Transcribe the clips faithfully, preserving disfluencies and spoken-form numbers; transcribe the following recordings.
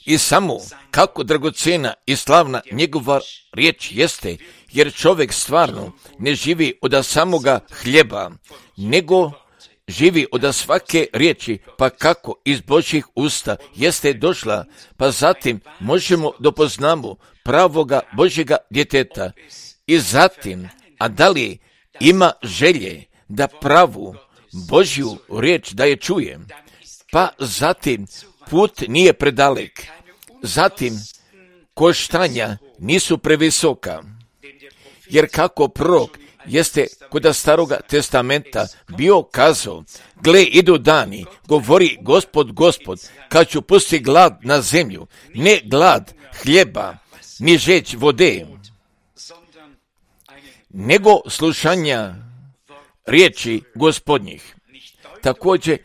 I samo kako dragocjena i slavna njegova riječ jeste, jer čovjek stvarno ne živi od samoga hljeba, nego živi od svake riječi, pa kako iz Božjih usta jeste došla, pa zatim možemo dopoznamo pravoga Božjega djeteta. I zatim, a da li ima želje da pravu Božju riječ da je čuje, pa zatim put nije predalek, zatim koštanja nisu previsoka, jer kako prorok jeste kod Staroga testamenta bio kazao, gle, idu dani, govori Gospod, Gospod, kad ću pustiti glad na zemlju, ne glad hljeba, ni žeđ vode, nego slušanja riječi Gospodnjih. Također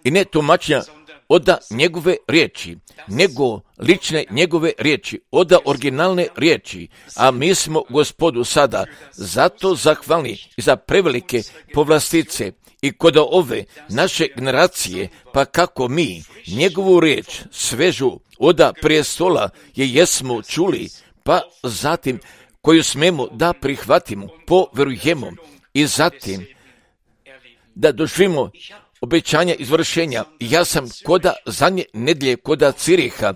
i ne tumačenja oda njegove riječi, nego lične njegove riječi, oda originalne riječi, a mi smo Gospodu sada zato zahvalni i za prevelike povlastice i kod ove naše generacije, pa kako mi njegovu riječ svežu oda prijestola je jesmo čuli, pa zatim koju smemo da prihvatimo, poverujemo i zatim da doživimo obećanja izvršenja. Ja sam koda zadnje nedjelje koda Ciriha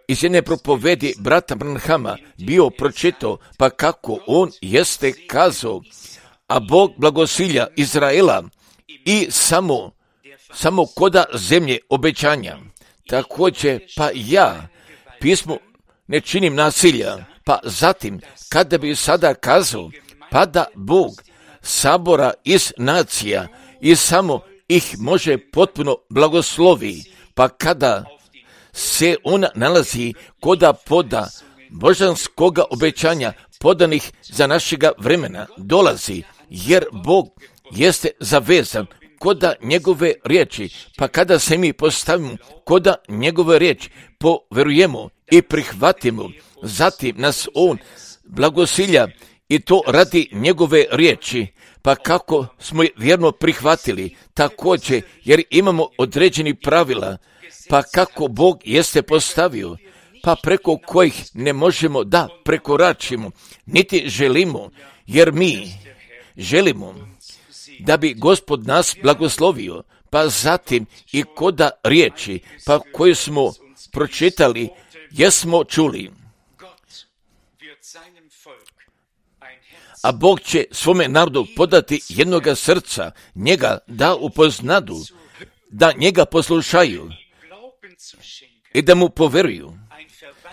iz jedne propovedi brata Branhama bio pročitao, pa kako on jeste kazao, a Bog blagosilja Izraela i samo, samo koda zemlje obećanja. Također, pa ja pismu ne činim nasilja, pa zatim, kada bi sada kazao, pa da Bog sabora iz nacija i samo ih može potpuno blagoslovi, pa kada se ona nalazi koda poda božanskoga obećanja podanih za našega vremena dolazi, jer Bog jeste zavezan koda njegove riječi, pa kada se mi postavimo koda njegove riječi, poverujemo i prihvatimo, zatim nas on blagosilja i to radi njegove riječi, pa kako smo je vjerno prihvatili, također jer imamo određeni pravila, pa kako Bog jeste postavio, pa preko kojih ne možemo da prekoračimo, niti želimo, jer mi želimo da bi Gospod nas blagoslovio, pa zatim i koda riječi, pa koju smo pročitali, jesmo čuli. A Bog će svome narodu podati jednoga srca, njega da upoznadu, da njega poslušaju i da mu poveruju.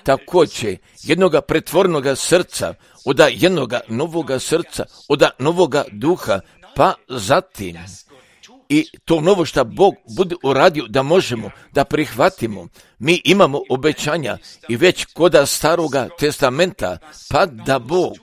Također jednoga pretvornoga srca, oda jednoga novoga srca, oda novoga duha, pa zatim i to novo što Bog bude uradio da možemo da prihvatimo. Mi imamo obećanja i već koda Staroga testamenta, pa da Bog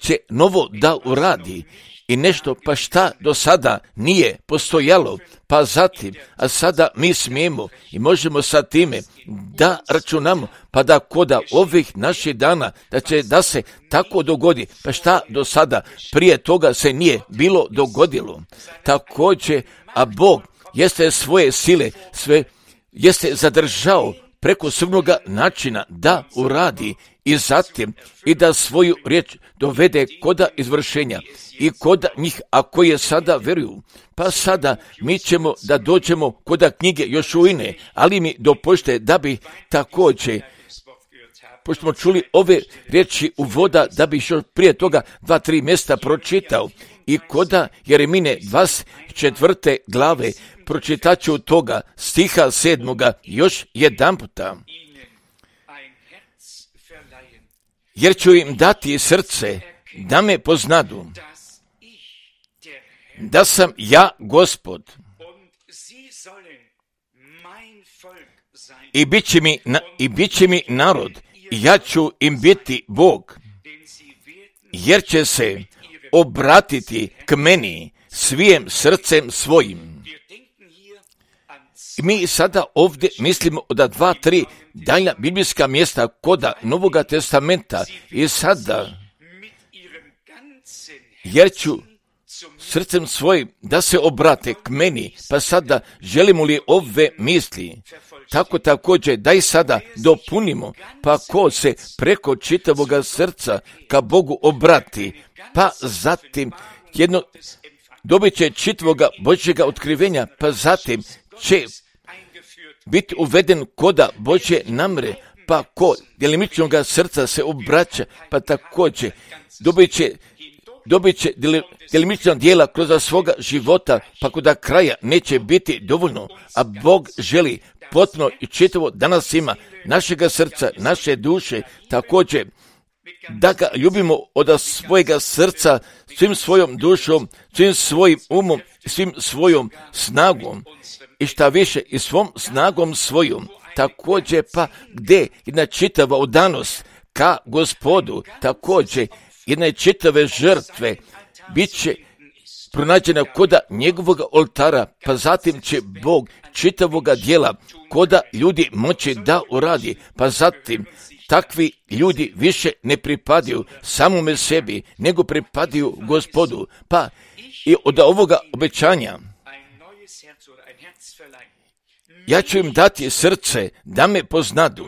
će novo da uradi i nešto pa šta do sada nije postojalo, pa zatim, a sada mi smijemo i možemo sa time da računamo, pa da koda ovih naših dana, da će da se tako dogodi, pa šta do sada prije toga se nije bilo dogodilo. Također, a Bog jeste svoje sile, sve jeste zadržao preko svojega načina da uradi i zatim i da svoju riječ dovede koda izvršenja i koda njih, a koje sada veruju. Pa sada mi ćemo da dođemo koda knjige Jošuine, ali mi dopušte da bi također, pošto smo čuli ove riječi uvoda, da bi još prije toga dva, tri mjesta pročitao i koda Jeremine dvadeset četvrte glave pročitat ću toga stiha sedmoga još jedan puta. Jer ću im dati srce da me poznadu, da sam ja Gospod i bit će mi, na, i bit će mi narod i ja ću im biti Bog, jer će se obratiti k meni svijem srcem svojim. Mi sada ovdje mislimo da dva, tri daljna biblijska mjesta koda Novoga testamenta i sada, jer ću srcem svojim da se obrate k meni, pa sada želimo li ove misli, tako također da i sada dopunimo, pa ko se preko čitavoga srca ka Bogu obrati, pa zatim jedno dobit će čitavoga Božjega otkrivenja, pa zatim će biti uveden koda Božje namre, pa ko djelimičnoga srca se obraća, pa također dobit će, dobit će djelimična dijela kroz svoga života, pa kod kraja neće biti dovoljno, a Bog želi potpuno i čitavo danas ima našega srca, naše duše, također da ga ljubimo od svojega srca, svim svojom dušom, svim svojim umom, svim svojom snagom i šta više i svom snagom svojom. Također pa gdje jedna čitava odanost ka Gospodu, također jedna čitave žrtve bit će pronađena koda njegovog oltara, pa zatim će Bog čitavoga dijela koda ljudi moći da uradi, pa zatim takvi ljudi više ne pripadaju samome sebi, nego pripadaju Gospodu. Pa i od ovoga obećanja ja ću im dati srce da me poznadu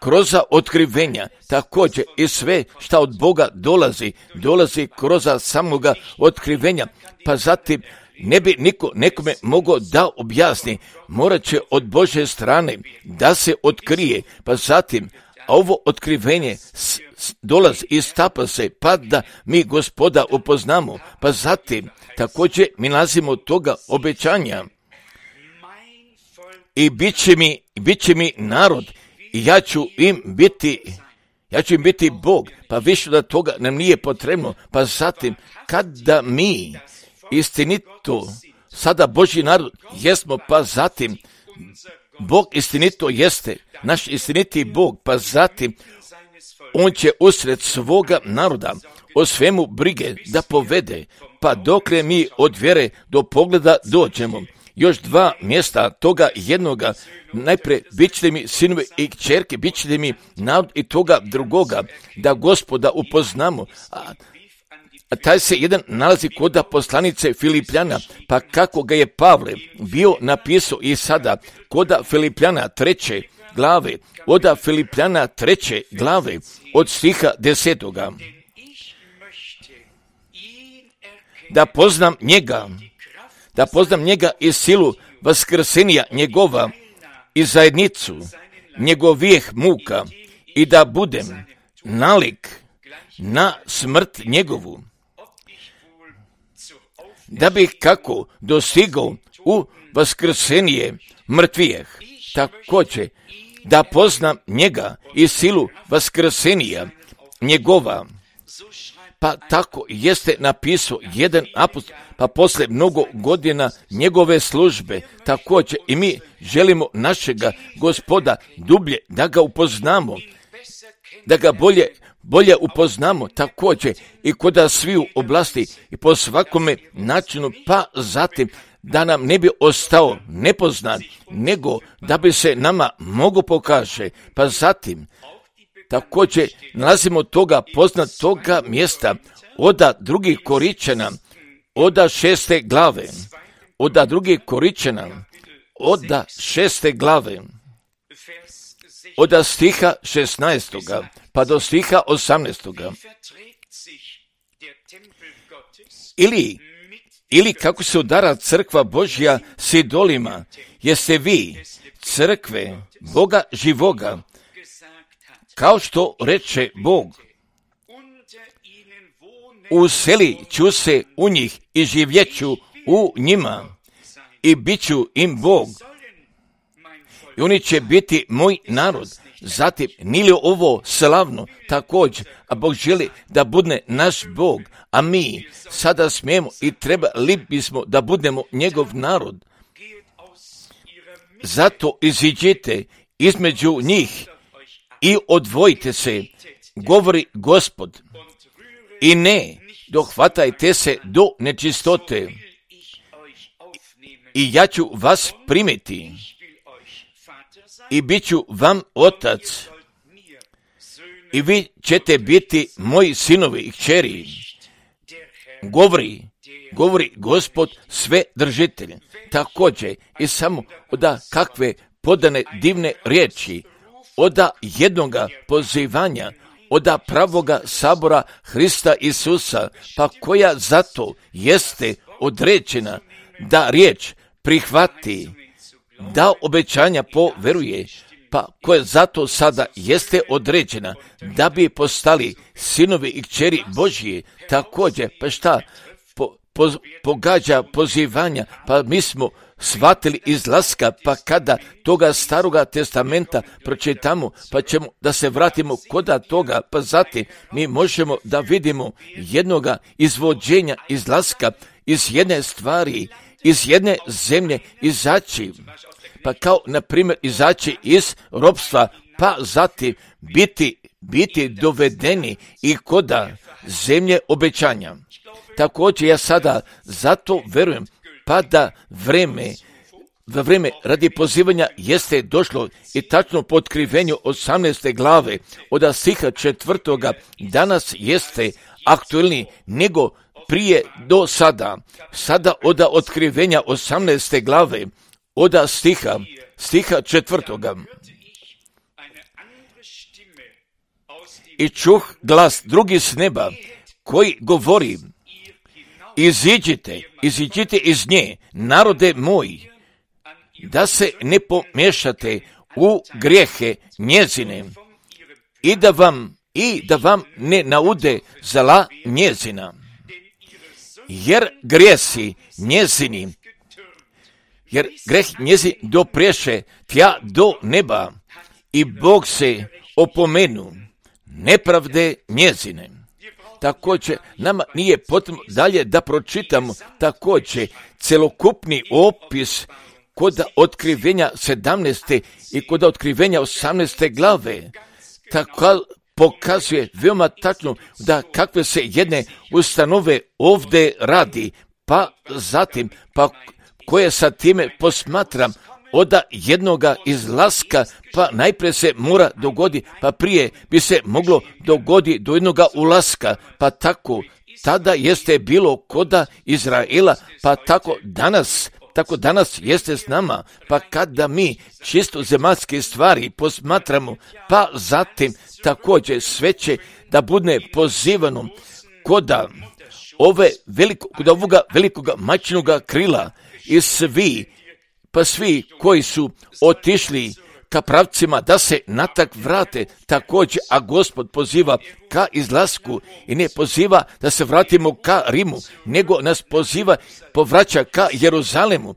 kroz otkrivenja, također i sve šta od Boga dolazi, dolazi kroz samoga otkrivenja, pa zatim ne bi niko nekome mogao da objasni, morat će od Božje strane da se otkrije, pa zatim ovo otkrivenje s, s, dolazi i stapa se, pa da mi Gospoda upoznamo, pa zatim također mi nalazimo toga obećanja i bit će mi, bit će mi narod i ja ću im biti, ja ću im biti Bog, pa više da toga nam nije potrebno, pa zatim kada mi istinito sada Božji narod jesmo, pa zatim Bog istinito jeste, naš istiniti Bog, pa zatim on će usred svoga naroda o svemu brige da povede, pa dokle mi od vjere do pogleda dođemo. Još dva mjesta toga jednoga, najprije bit ćete mi sinovi i kćerke, bit ćete mi narod i toga drugoga, da Gospoda upoznamo. A, a taj se jedan nalazi kod poslanice Filipljana, pa kako ga je Pavle bio napisao i sada kod Filipljana treće glave, od Filipljana treće glave, od stiha desetoga. Da poznam njega, da poznam njega i silu vaskrsenja njegova i zajednicu njegovih muka i da budem nalik na smrt njegovu, da bih kako dostigao u vaskrsenje mrtvijeh, također da poznam njega i silu vaskrsenja njegova. Pa tako jeste napisao jedan apostol, pa posle mnogo godina njegove službe, također i mi želimo našega Gospoda dublje da ga upoznamo, da ga bolje, bolje upoznamo, također i kod sviju oblasti i po svakome načinu, pa zatim da nam ne bi ostao nepoznan, nego da bi se nama mogo pokaže, pa zatim također nalazimo toga poznat toga mjesta oda drugih Koričana, oda šeste glave, oda drugih Koričana, oda šeste glave, oda stiha šesnaestoga pa do stiha osamnaestoga. Ili, ili kako se udara crkva Božja s idolima, jeste vi crkve Boga živoga, kao što reče Bog, uselit ću se u njih i živjeću u njima i bit ću im Bog i oni će biti moj narod. Zatim, nije li ovo slavno također, a Bog želi da bude naš Bog, a mi sada smijemo i trebali bismo da budemo njegov narod. Zato iziđite između njih i odvojite se, govori Gospod, i ne dohvatajte se do nečistote, i ja ću vas primiti i bit ću vam otac i vi ćete biti moji sinovi i kćeri, govori govori Gospod sve držitelj. Također i samo oda kakve podane divne riječi, oda jednoga pozivanja, oda pravoga sabora Hrista Isusa, pa koja zato jeste određena da riječ prihvati, da obećanja poveruje, pa koja zato sada jeste određena da bi postali sinovi i kćeri Božije. Također, pa šta po, po, pogađa pozivanja, pa mi smo shvatili izlaska, pa kada toga staroga testamenta pročitamo, pa ćemo da se vratimo koda toga, pa zatim mi možemo da vidimo jednoga izvođenja izlaska iz jedne stvari, iz jedne zemlje izaći, pa kao na primjer izaći iz ropstva, pa zatim biti, biti dovedeni i koda zemlje obećanja. Također ja sada zato verujem, pa da vreme, da vreme radi pozivanja jeste došlo i tačno po otkrivenju osamnaeste glave od stiha četvrtoga danas jeste aktuelni nego prije do sada. Sada od otkrivenja osamnaeste glave od stiha, stiha četvrtoga. I čuh glas drugi s neba koji govori: iziđite, iziđite iz nje, narode moji, da se ne pomiješate u grijehe njezine i da vam, i da vam ne naude zla njezina. Jer grijesi njezini, jer greh njezin dopreše tja do neba i Bog se opomenu nepravde njezine. Također, nama nije potrebno dalje da pročitamo također celokupni opis kod otkrivenja sedamnaeste i kod otkrivenja osamnaeste glave. Tako pokazuje veoma tačno da kakve se jedne ustanove ovdje radi, pa zatim, pa koje sa time posmatram od jednoga izlaska, pa najprije se mora dogoditi, pa prije bi se moglo dogoditi do jednoga ulaska, pa tako tada jeste bilo koda Izraela, pa tako danas, tako danas jeste s nama, pa kada mi čisto zemaljske stvari posmatramo, pa zatim također sve će da bude pozivano koda ove veliko, kod ovoga velikoga majčinoga krila i svi, pa svi koji su otišli ka pravcima da se natak vrate također, a Gospod poziva ka izlasku i ne poziva da se vratimo ka Rimu, nego nas poziva, povraća ka Jeruzalemu,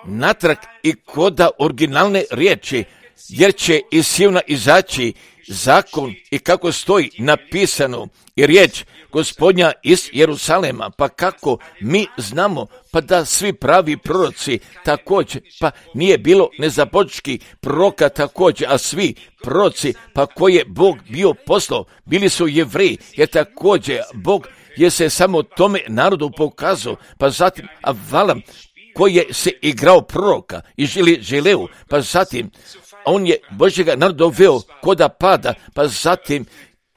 natrag i koda originalne riječi, jer će iz Sijona izaći zakon i kako stoji napisano i riječ Gospodnja iz Jeruzalema, pa kako mi znamo, pa da svi pravi proroci također, pa nije bilo nezapočki proroka također, a svi proroci, pa koje je Bog bio poslao, bili su Jevreji, jer također Bog je se samo tome narodu pokazao, pa zatim a Valam koji je se igrao proroka i želi želeo, pa zatim on je Božjega naroda doveo koda pada, pa zatim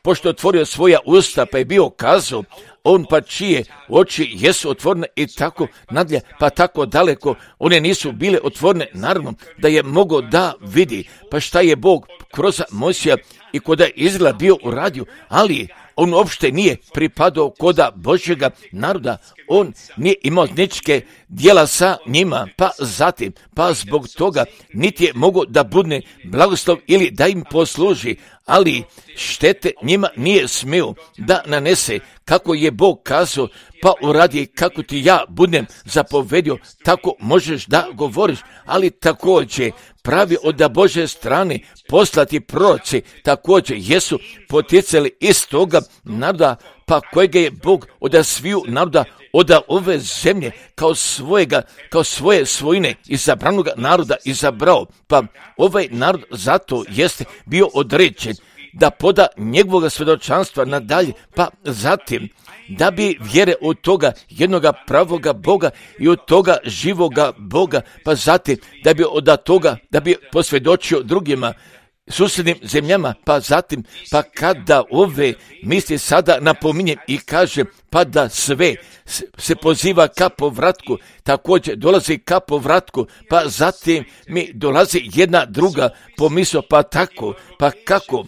pošto je otvorio svoja usta, pa je bio kazao, on pa čije oči jesu otvorene i tako nadalje, pa tako daleko, one nisu bile otvorene, naravno da je mogao da vidi, pa šta je Bog kroz Mojsija i koda je Izrael bio uradio, ali on uopšte nije pripadao koda Božjega naroda, on nije imao ničke djela sa njima, pa zatim, pa zbog toga niti je mogao da budne blagoslov ili da im posluži, ali štete njima nije smio da nanese, kako je Bog kazao, pa uradi kako ti ja budem zapovedio, tako možeš da govoriš, ali također pravi od Božje strane poslati proroci također jesu poticali iz toga naroda, pa kojega je Bog od sviju naroda od ove zemlje kao svojega, kao svoje svojine izabranog naroda izabrao, pa ovaj narod zato jeste bio određen da poda njegovog svjedočanstva nadalje, pa zatim da bi vjere od toga jednoga pravoga Boga i od toga živoga Boga, pa zatim da bi od toga, da bi posvjedočio drugima susjednim zemljama, pa zatim, pa kada ove misli sada napominjem i kažem, pa da sve se poziva ka povratku, također dolazi ka povratku, pa zatim mi dolazi jedna druga pomisao, pa tako, pa kako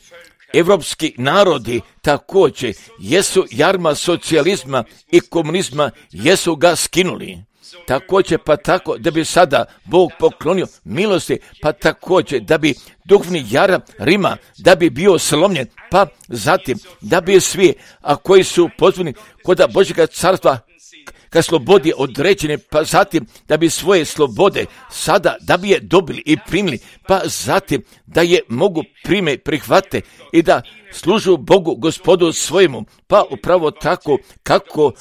evropski narodi također jesu jarma socijalizma i komunizma, jesu ga skinuli. Također pa tako da bi sada Bog poklonio milosti, pa također da bi duhovni jaram Rima, da bi bio slomljen, pa zatim da bi svi, a koji su pozvani kod Božjega carstva ka slobodi određene, pa zatim da bi svoje slobode sada da bi je dobili i primili, pa zatim da je mogu prime, prihvate i da služu Bogu Gospodu svojemu, pa upravo tako kako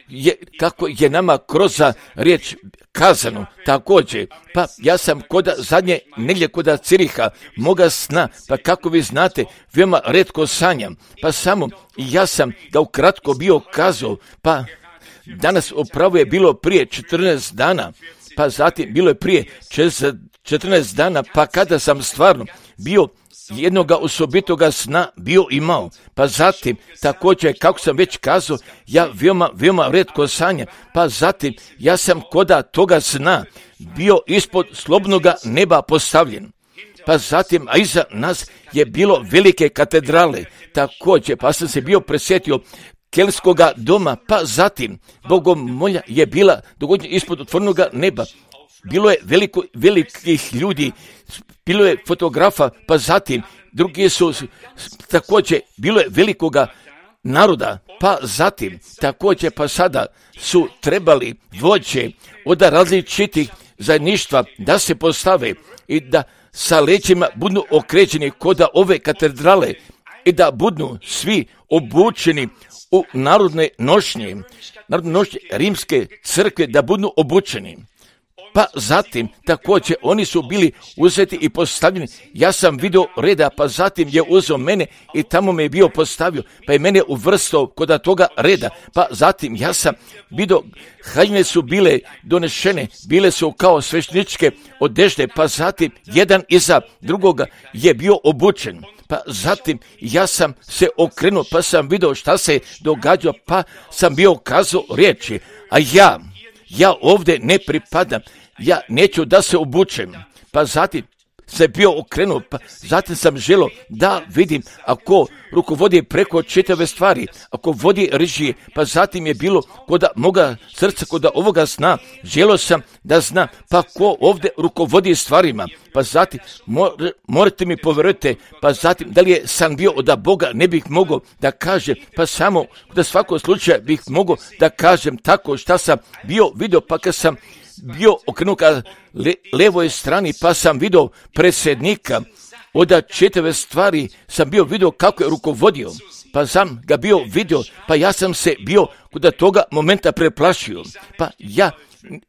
je, kako je nama kroz riječ kazano također. Pa ja sam kod zadnje nedjelje kod Ciriha moga sna, pa kako vi znate, veoma retko sanjam, pa samo ja sam ga ukratko bio kazao, pa danas upravo je bilo prije četrnaest dana, pa zatim bilo je prije četrnaest dana, pa kada sam stvarno bio jednoga osobitoga sna bio imao, pa zatim također kako sam već kazao, ja veoma, veoma retko sanjam, pa zatim ja sam koda toga sna bio ispod slobodnoga neba postavljen. Pa zatim, a iza nas je bilo velike katedrale, također, pa sam se bio presjetio kelskoga doma, pa zatim bogomolja je bila dogodnje ispod otvorenoga neba. Bilo je veliko, velikih ljudi, bilo je fotografa, pa zatim drugi su također, bilo je velikoga naroda, pa zatim također pa sada su trebali vođe od različitih zajedništva da se postave i da sa leđima budu okrećeni kod ove katedrale i da budu svi obučeni u narodne nošnje, narodne nošnje rimske crkve, da budu obučeni. Pa zatim također oni su bili uzeti i postavljeni. Ja sam vidio reda, pa zatim je uzeo mene i tamo me je bio postavio, pa je mene uvrstao kod toga reda. Pa zatim ja sam vidio, haljine su bile donešene, bile su kao svešteničke odežde, pa zatim jedan iza drugoga je bio obučen. Pa zatim ja sam se okrenuo, pa sam vidio šta se događa, pa sam bio kazao riječi, a ja, ja ovdje ne pripadam, ja neću da se obučem. Pa zatim se bio okrenuo, pa zatim sam želio da vidim ako rukovodi preko čitave stvari, ako vodi režije, pa zatim je bilo kod moga srca, kod ovoga sna, želio sam da znam, pa ko ovdje rukovodi stvarima, pa zatim more, morate mi povjerujete, pa zatim da li je san bio od Boga, ne bih mogao da kažem, pa samo da svakog slučaja bih mogao da kažem tako šta sam bio vidio, pa kad sam bio okrenut ka le, levoj strani, pa sam vidio predsjednika, od čitave stvari sam bio vidio kako je rukovodio, pa sam ga bio vidio, pa ja sam se bio kod toga momenta preplašio, pa ja,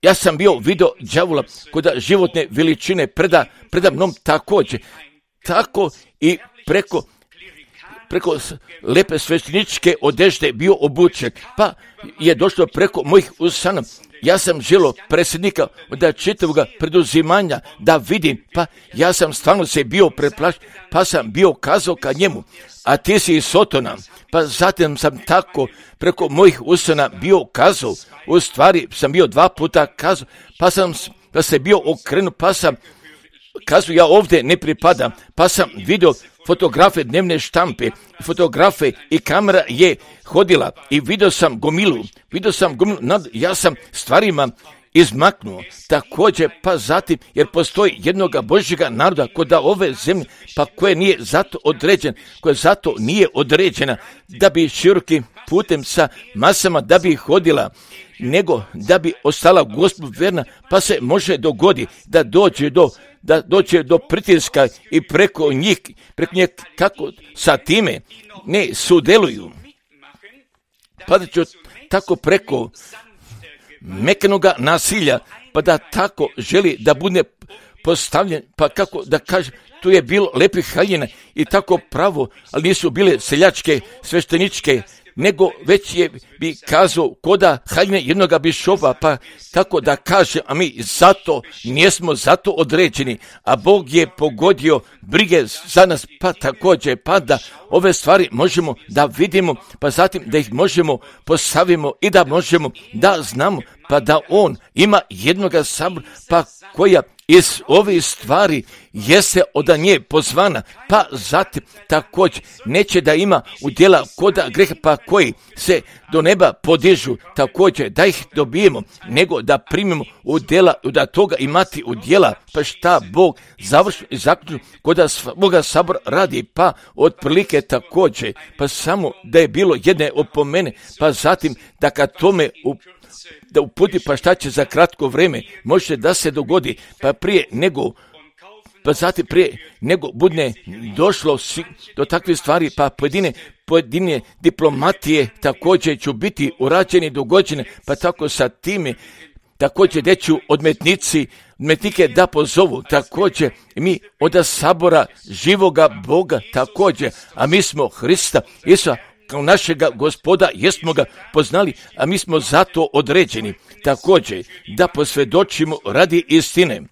ja sam bio vidio đavola kod životne veličine preda, preda mnom također, tako i preko preko lepe svešteničke odežde bio obučen, pa je došlo preko mojih usana. Ja sam želio predsjednika od čitavog preduzimanja da vidim, pa ja sam stvarno se bio preplašen, pa sam bio kazao ka njemu, a ti si iz Sotona, pa zatim sam tako preko mojih usana bio kazao, u stvari sam bio dva puta kazao, pa sam pa se bio okrenuo, pa sam kazao ja ovdje ne pripadam, pa sam vidio fotografe dnevne štampe, fotografe i kamera je hodila i vidio sam gomilu, vidio sam gomilu, nad, ja sam stvarima izmaknuo, također pa zatim, jer postoji jednoga Božjega naroda kod ove zemlje, pa koje nije zato određen, koje zato nije određena da bi širokim putem sa masama da bi hodila, nego da bi ostala Gospodu verna, pa se može dogodi da dođe do da dođe do pritiska i preko njih, preko njih kako sa time ne sudjeluju. Pa da ću tako preko mekanoga nasilja, pa da tako želi da bude postavljen, pa kako da kaže, tu je bilo lepih haljina i tako pravo, ali nisu bile seljačke, svešteničke, nego već je bi kazao koda haljne jednoga bišova, pa tako da kaže, a mi zato nismo zato određeni, a Bog je pogodio brige za nas, pa također, pa da ove stvari možemo da vidimo, pa zatim da ih možemo postavimo i da možemo da znamo, pa da on ima jednoga sabora, pa koja iz ovih stvari jeste od nje pozvana, pa zatim također neće da ima udjela koda greha, pa koji se do neba podižu, također da ih dobijemo, nego da primimo udjela, da toga imati udjela, pa šta Bog završno i zaključno koda svoga sabora radi, pa otprilike također, pa samo da je bilo jedne opomene, pa zatim da kad tome u da uputi, pa šta će za kratko vrijeme može da se dogodi, pa prije nego pa zatim prije nego budne došlo do takvih stvari, pa pojedine pojedine diplomatije također ću biti urađeni dogođene, pa tako sa time također da ću odmetnici odmetnike da pozovu, također mi od sabora živoga Boga također, a mi smo Hrista Isusa kao našega Gospoda, jesmo ga poznali, a mi smo zato određeni, također da posvjedočimo radi istine.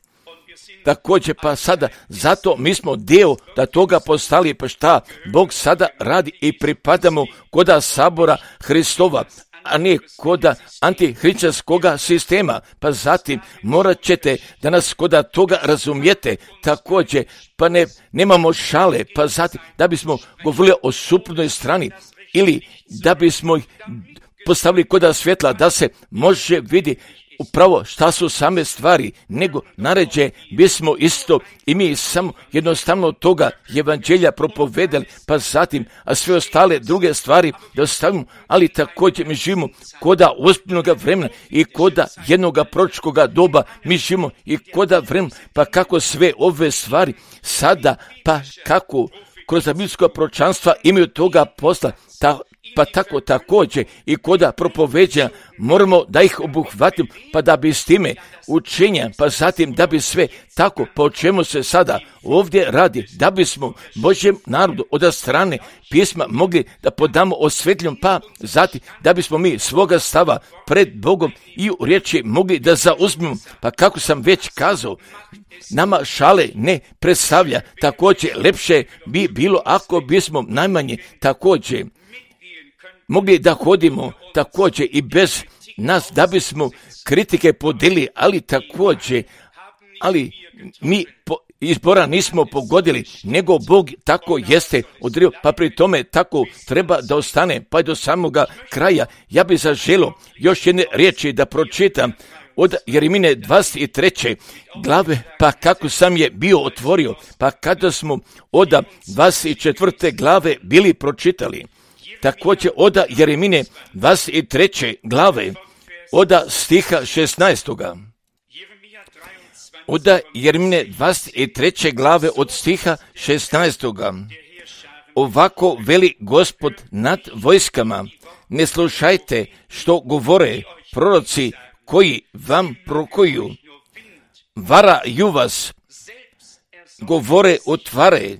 Također pa sada, zato mi smo dio da toga postali, pa šta Bog sada radi i pripadamo koda sabora Hristova, a ne koda antihrišćanskoga sistema, pa zatim morat ćete da nas koda toga razumijete, također pa ne, nemamo šale, pa zatim da bismo govorili o suprotnoj strani, ili da bismo ih postavili koda svjetla, da se može vidjeti upravo šta su same stvari, nego naređe bismo isto i mi samo jednostavno toga evanđelja propovedali, pa zatim, a sve ostale druge stvari da ostavimo, ali također mi živimo koda ozbiljnoga vremena i koda jednoga proročkoga doba, mi živimo i koda vremena, pa kako sve ove stvari sada, pa kako kroz biblijsko proročanstva imaju toga posla, ta, pa tako također i koda propoveđa moramo da ih obuhvatimo, pa da bi s time učenja, pa zatim da bi sve tako, po čemu se sada ovdje radi, da bismo Božjem narodu od strane pisma mogli da podamo osvetljom, pa zatim da bismo mi svoga stava pred Bogom i u riječi mogli da zauzmemo, pa kako sam već kazao, nama šale ne predstavlja, također lepše bi bilo ako bismo najmanje također mogli da hodimo također i bez nas, da bismo kritike podeli, ali također, ali mi po, izbora nismo pogodili, nego Bog tako jeste odrio, pa pri tome tako treba da ostane, pa do samoga kraja. Ja bih zaželio još jedne riječi da pročitam od Jeremine dvadeset treće glave, pa kako sam je bio otvorio, pa kada smo od dvadeset četvrte glave bili pročitali, također od Jeremine dvadeset treće glave, od stiha šesnaestoga. Od Jeremine dvadeset treće glave od stiha šesnaestoga. Ovako veli Gospod nad vojskama, ne slušajte što govore proroci koji vam prokuju. Varaju vas, govore otvare,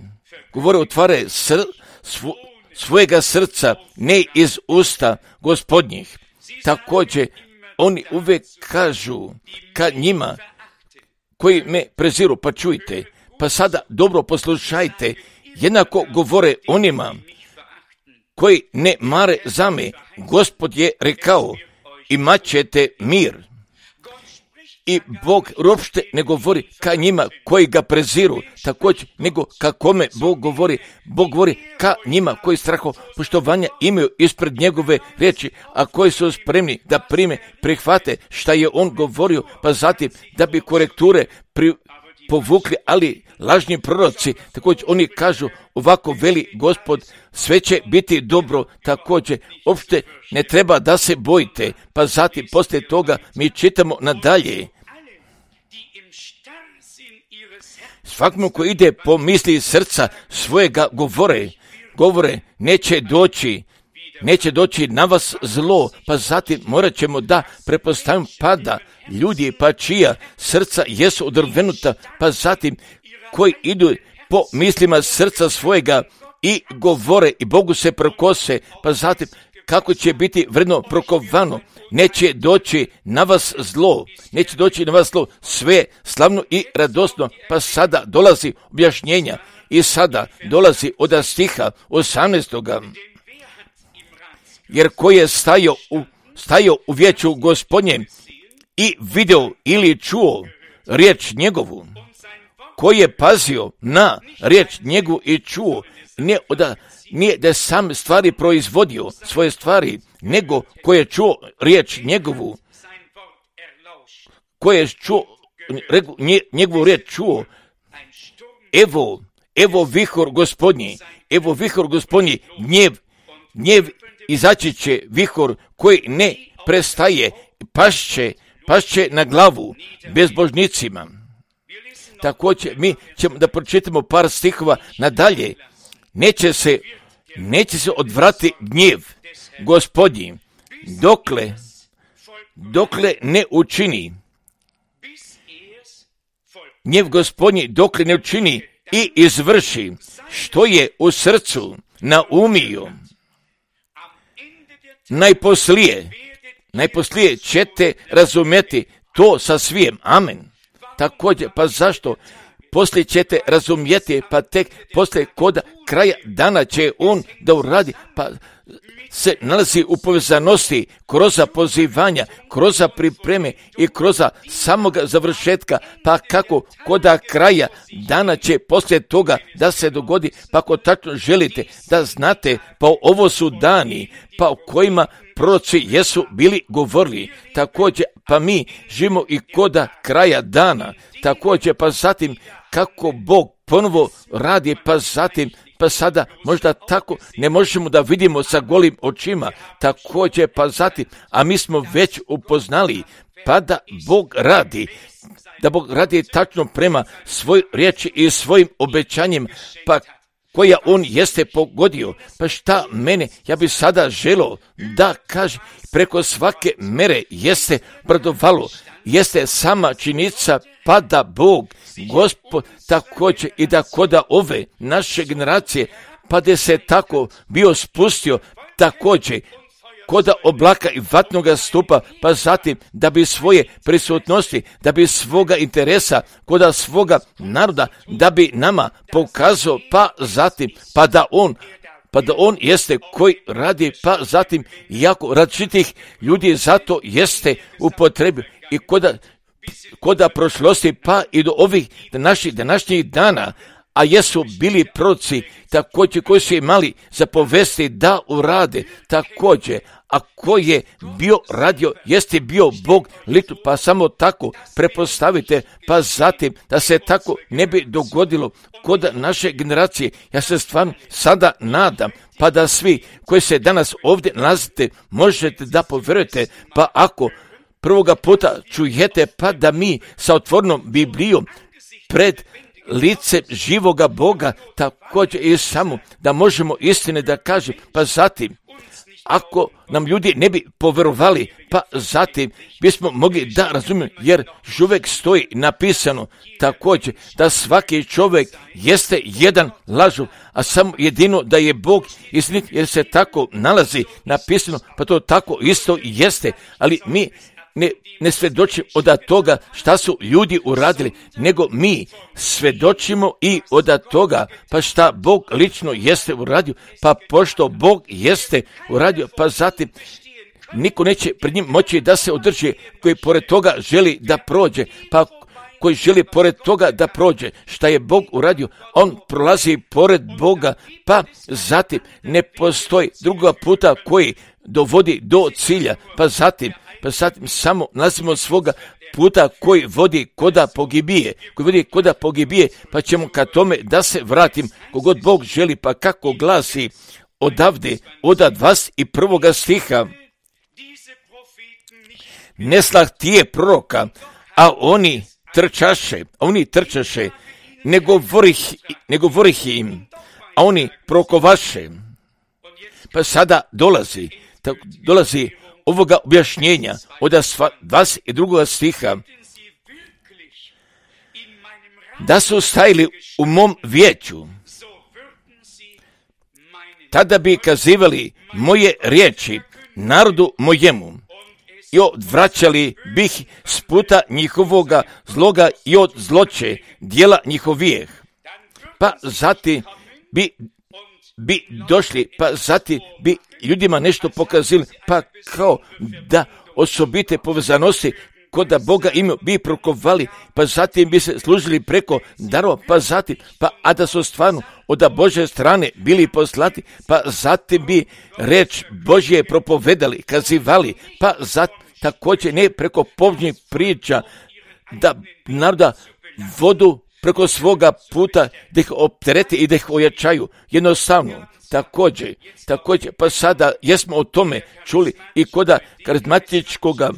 govore otvare sr, svo, svojega srca, ne iz usta Gospodnjih. Također, oni uvijek kažu kad njima koji me preziru, pa čujte, pa sada dobro poslušajte, jednako govore onima koji ne mare za me, Gospod je rekao, imat ćete mir. I Bog uopšte ne govori ka njima koji ga preziru, također nego ka kome Bog govori. Bog govori ka njima koji straho poštovanja imaju ispred njegove riječi, a koji su spremni da prime, prihvate šta je on govorio, pa zatim da bi korekture pri, povukli, ali lažni proroci, također oni kažu ovako veli Gospod, sve će biti dobro, također uopšte ne treba da se bojite, pa zatim poslije toga mi čitamo nadalje. Svakom ko ide po misli srca svojega govore, govore neće doći, neće doći na vas zlo, pa zatim morat ćemo da prepostavimo pada ljudi, pa čija srca jesu odrvenuta, pa zatim koji idu po mislima srca svojega i govore i Bogu se prkose, pa zatim kako će biti vredno prokovano, neće doći na vas zlo, neće doći na vas zlo, sve slavno i radosno, pa sada dolazi objašnjenja i sada dolazi od stiha osamnaestoga. Jer ko je stajao u, stajao u vijeću Gospodnjem i video ili čuo riječ njegovu, ko je pazio na riječ njegovu i čuo, nije da, nije da sam stvari proizvodio, svoje stvari, nego ko je čuo riječ njegovu, ko je čuo, njegovu riječ čuo, evo, evo vihor Gospodnji, evo vihor Gospodnji, gnjev, gnjev izaći će vihor koji ne prestaje, pašće, pašće na glavu bezbožnicima. Također mi ćemo da pročitamo par stihova nadalje. Neće se, neće se odvrati gnjev Gospodnji, dokle, dokle ne učini. Gnjev Gospodnji dokle ne učini i izvrši što je u srcu naumio. Najposlije, najposlije ćete razumjeti to sa svijem. Amen. Također, pa zašto? Poslije ćete razumjeti, pa tek poslije koda kraja dana će on da uradi, pa se nalazi u povezanosti kroz pozivanja, kroz pripreme i kroz samoga završetka, pa kako koda kraja dana će poslije toga da se dogodi, pa ako tačno želite da znate, pa ovo su dani, pa o kojima proroci jesu bili govorili, također pa mi živimo i koda kraja dana, također pa zatim kako Bog ponovo radi, pa zatim pa sada možda tako ne možemo da vidimo sa golim očima, također pa zatim, a mi smo već upoznali, pa da Bog radi, da Bog radi tačno prema svoj riječi i svojim obećanjem, pa koja on jeste pogodio. Pa šta mene, ja bi sada želio da kaže, preko svake mere jeste bradovalo, jeste sama činjenica, pa da Bog, Gospod, također i da koda ove naše generacije, pa da se tako bio spustio, također koda oblaka i vatnoga stupa, pa zatim da bi svoje prisutnosti, da bi svoga interesa, koda svoga naroda, da bi nama pokazao, pa zatim, pa da on, pa da on jeste koji radi, pa zatim, jako različitih ljudi zato jeste upotrebio i koda, koda prošlosti, pa i do ovih naših današnjih dana, a jesu bili proroci također koji su imali za povesti da urade također, a ko je bio radio, jeste bio Bog litu, pa samo tako prepostavite, pa zatim da se tako ne bi dogodilo kod naše generacije. Ja se stvarno sada nadam, pa da svi koji se danas ovdje nalazite možete da povjerujete, pa ako prvoga puta čujete, pa da mi sa otvorenom Biblijom pred lice živoga Boga, također i samo da možemo istine da kažem, pa zatim, ako nam ljudi ne bi povjerovali, pa zatim bismo mogli da razumijemo, jer uvijek stoji napisano također da svaki čovjek jeste jedan lažov, a samo jedino da je Bog istinit, jer se tako nalazi napisano, pa to tako isto jeste, ali mi ne, ne svjedočimo od toga šta su ljudi uradili, nego mi svjedočimo i od toga pa šta Bog lično jeste uradio, pa pošto Bog jeste uradio, pa zatim niko neće pred njim moći da se održi koji pored toga želi da prođe, pa koji želi pored toga da prođe, šta je Bog uradio, on prolazi pored Boga, pa zatim ne postoji druga puta koji dovodi do cilja, pa zatim pa zatim samo nalazimo svoga puta koji vodi koda pogibije, koji vodi koda pogibije, pa ćemo ka tome da se vratim, kogod Bog želi, pa kako glasi odavde, od dvadeset prvog stiha. Ne slah tije proroka, a oni trčaše, a oni trčaše, ne govorih, ne govorih im, a oni prokovaše. Pa sada dolazi, tako, dolazi ovoga objašnjenja od dvadeset drugog stiha, da su stajali u mom vijeću, tada bi kazivali moje riječi narodu mojemu i odvraćali bih s puta njihovoga zloga i od zloće dijela njihovijeh. Pa zatim bi, bi došli, pa zatim bi ljudima nešto pokazali, pa kao da osobite povezanosti kod da Boga ime bi prokovali, pa zatim bi se služili preko darova, pa zatim, pa a da su stvarno od Božje strane bili poslati, pa zatim bi reč Božje propovedali, kazivali, pa zatim također ne preko povžnjih priča da naroda vodu preko svoga puta da ih opterete i da ih ojačaju. Jednostavno, također, također, pa sada jesmo o tome čuli i koda karizmatičkoga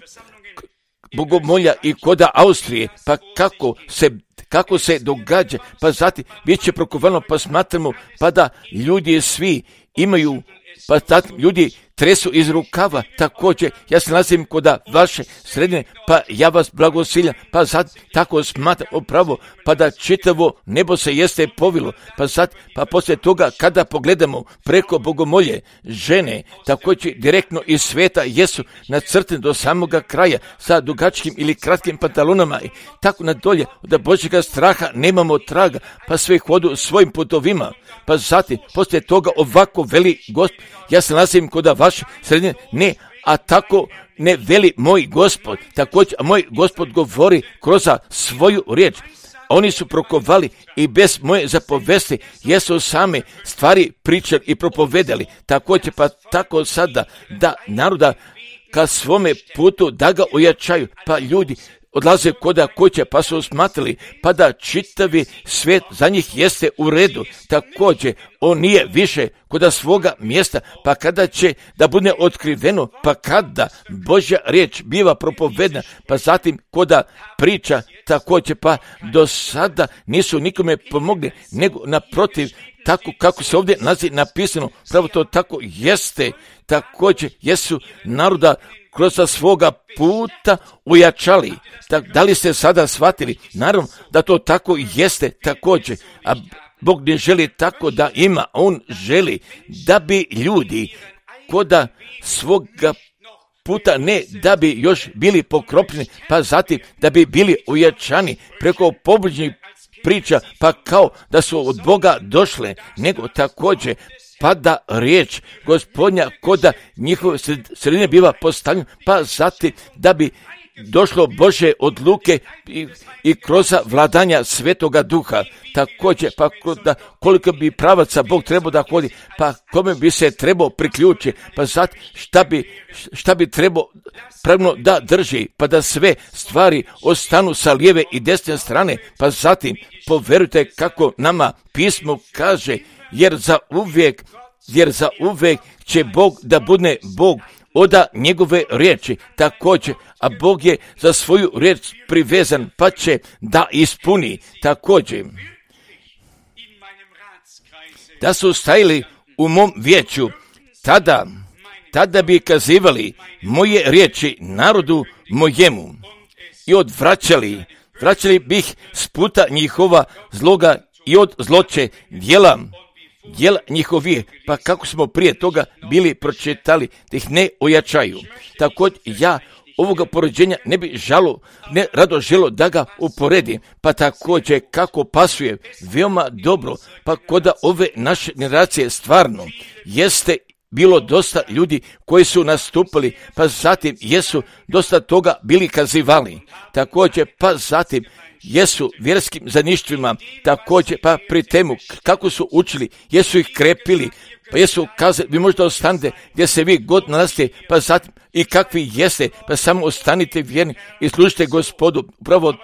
bogomolja i koda Austrije, pa kako se kako se događa, pa zatim bit će prokovano, pa smatramo, pa da ljudi svi imaju, pa zatim ljudi tresu iz rukava, također, ja se nalazim koda vaše sredine, pa ja vas blagosiljam, pa sad tako smatram upravo, pa da čitavo nebo se jeste povilo, pa sad, pa poslije toga kada pogledamo preko bogomolje žene, također direktno iz sveta jesu nacrtene do samoga kraja sa dugačkim ili kratkim pantalonama i tako nadolje, da Božjega straha nemamo traga, pa sve hodu svojim putovima, pa zatim poslije toga ovako veli Gospod, ja se nalazim koda vaše sredine, ne, a tako ne veli moj Gospod, također, a moj Gospod govori kroz svoju riječ. Oni su prokovali i bez moje zapovesti jesu same stvari pričali i propovedali. Također, pa tako sada da naroda ka svome putu da ga ojačaju, pa ljudi odlaze koda kuće, pa su smatrali, pa da čitavi svijet za njih jeste u redu. Također, on nije više koda svoga mjesta, pa kada će da bude otkriveno, pa kada Božja riječ biva propovedna, pa zatim koda priča, također, pa do sada nisu nikome pomogli, nego naprotiv, tako kako se ovdje naziv napisano, pravo to tako jeste, također jesu naroda kroz svoga puta ujačali. Tak, da li ste sada shvatili? Naravno da to tako jeste također, a Bog ne želi tako da ima, on želi da bi ljudi koda svoga puta ne da bi još bili pokropljeni, pa zatim da bi bili ujačani preko pobližnjih priča, pa kao da su od Boga došle, nego također pa da riječ Gospodnja koda njihove sredine biva postavljena, pa zatim da bi došlo Bože odluke i, i kroz vladanja Svetoga Duha. Također, pa da koliko bi pravaca Bog trebao da hodi, pa kome bi se trebao priključiti, pa zatim šta bi, šta bi trebao pravno da drži, pa da sve stvari ostanu sa lijeve i desne strane, pa zatim poverujte kako nama pismo kaže, jer za uvijek, jer za uvijek će Bog da bude Bog oda njegove riječi, također, a Bog je za svoju riječ privezan, pa će da ispuni. Također, da su stajali u mom vijeću, tada, tada bi kazivali moje riječi narodu mojemu i odvraćali, vraćali bih s puta njihova zloga i od zloće dijela, dijela njihovih, pa kako smo prije toga bili pročitali, da ih ne ojačaju. Također ja ovoga poređenja ne bi žalo, ne rado želo da ga uporedim, pa također kako pasuje veoma dobro, pa koda ove naše generacije stvarno jeste bilo dosta ljudi koji su nastupili, pa zatim jesu dosta toga bili kazivali. Također, pa zatim jesu vjerskim zaništvima, također pa pri temu kako su učili, jesu ih krepili, pa jesu kazali, vi možda ostanete gdje se vi god nalazite, pa zatim i kakvi jeste, pa samo ostanite vjerni i služite Gospodu. Upravo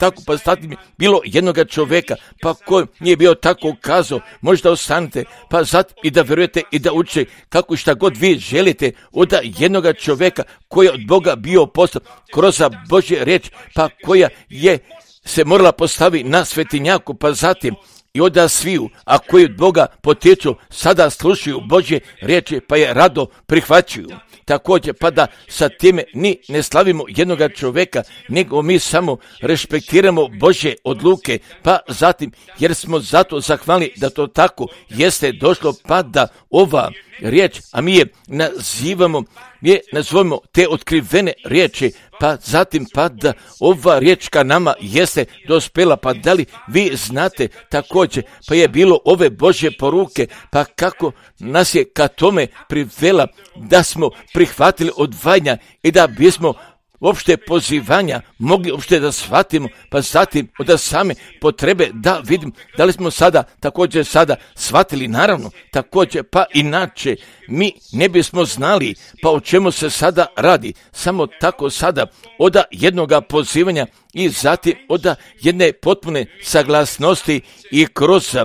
tako, pa zatim bilo jednoga čovjeka, pa ko nije bio tako kazao, možda ostanete, pa zatim i da vjerujete i da učite kako šta god vi želite od jednoga čovjeka koji je od Boga bio poslan kroz Božje riječ, pa koja je se morala postavi na svetinjaku, pa zatim i onda sviju, a koji od Boga potječu, sada slušaju Božje riječi, pa je rado prihvaćuju. Također, pa da sa time ni ne slavimo jednoga čovjeka, nego mi samo respektiramo Božje odluke, pa zatim, jer smo zato zahvalni da to tako jeste došlo, pa da ova riječ, a mi je nazivamo, mi je nazivamo te otkrivene riječi, pa zatim pa da ova riječ ka nama jeste dospela, pa da li vi znate također, pa je bilo ove Božje poruke, pa kako nas je ka tome privela da smo prihvatili odvajanja i da bismo uopšte pozivanja mogli uopšte da shvatimo, pa zatim od same potrebe da vidim da li smo sada također sada shvatili, naravno također pa inače mi ne bismo znali pa o čemu se sada radi, samo tako sada od jednoga pozivanja i zatim od jedne potpune saglasnosti i kroz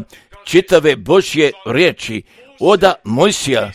čitave Božje riječi od Mojsija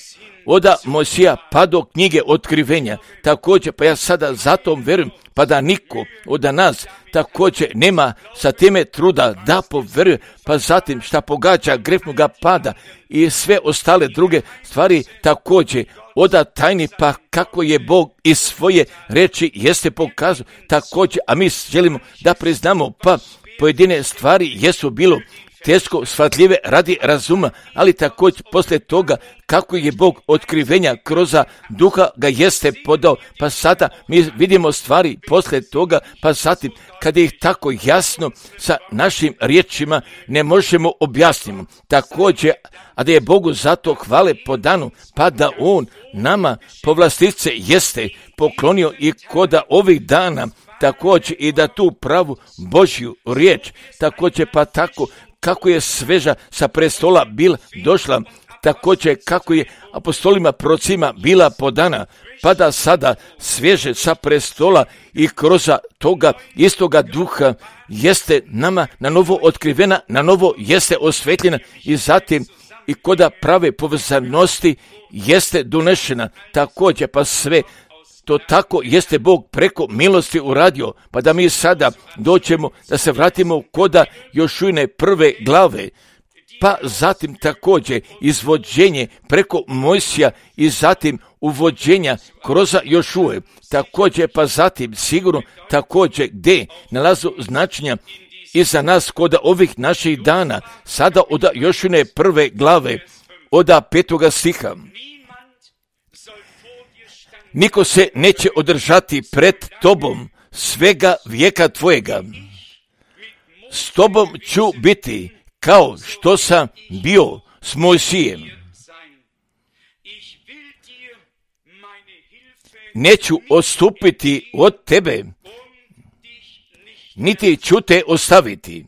Oda Mojsija pa do knjige otkrivenja. Također, pa ja sada zato verujem, pa da niko od nas također nema sa time truda da poveruje, pa zatim šta pogađa grefnoga pada i sve ostale druge stvari također oda tajni, pa kako je Bog iz svoje reči jeste pokazao također, a mi želimo da priznamo, pa pojedine stvari jesu bilo teško shvatljive radi razuma, ali također poslije toga kako je Bog otkrivenja kroz duha ga jeste podao, pa sada mi vidimo stvari poslije toga, pa zatim kada ih tako jasno sa našim riječima ne možemo objasniti. Također, a da je Bogu zato hvale po danu, pa da On nama povlastice jeste poklonio i koda ovih dana, također i da tu pravu Božju riječ, također pa tako kako je sveža sa prestola bila došla, također kako je apostolima procima bila podana, pa da sada svježe sa prestola i kroz toga istoga duha jeste nama na novo otkrivena, na novo jeste osvetljena i zatim i koda prave povezanosti jeste donešena, također pa sve to tako jeste Bog preko milosti uradio, pa da mi sada doćemo da se vratimo koda Jošujine prve glave, pa zatim također izvođenje preko Mojsija i zatim uvođenja kroz Jošuje, također pa zatim sigurno također gdje nalazu značenja i za nas koda ovih naših dana, sada od Jošujine prve glave, od petoga stiha. Niko se neće održati pred tobom svega vijeka tvojega. S tobom ću biti kao što sam bio s Mojsijem. Neću odstupiti od tebe, niti ću te ostaviti.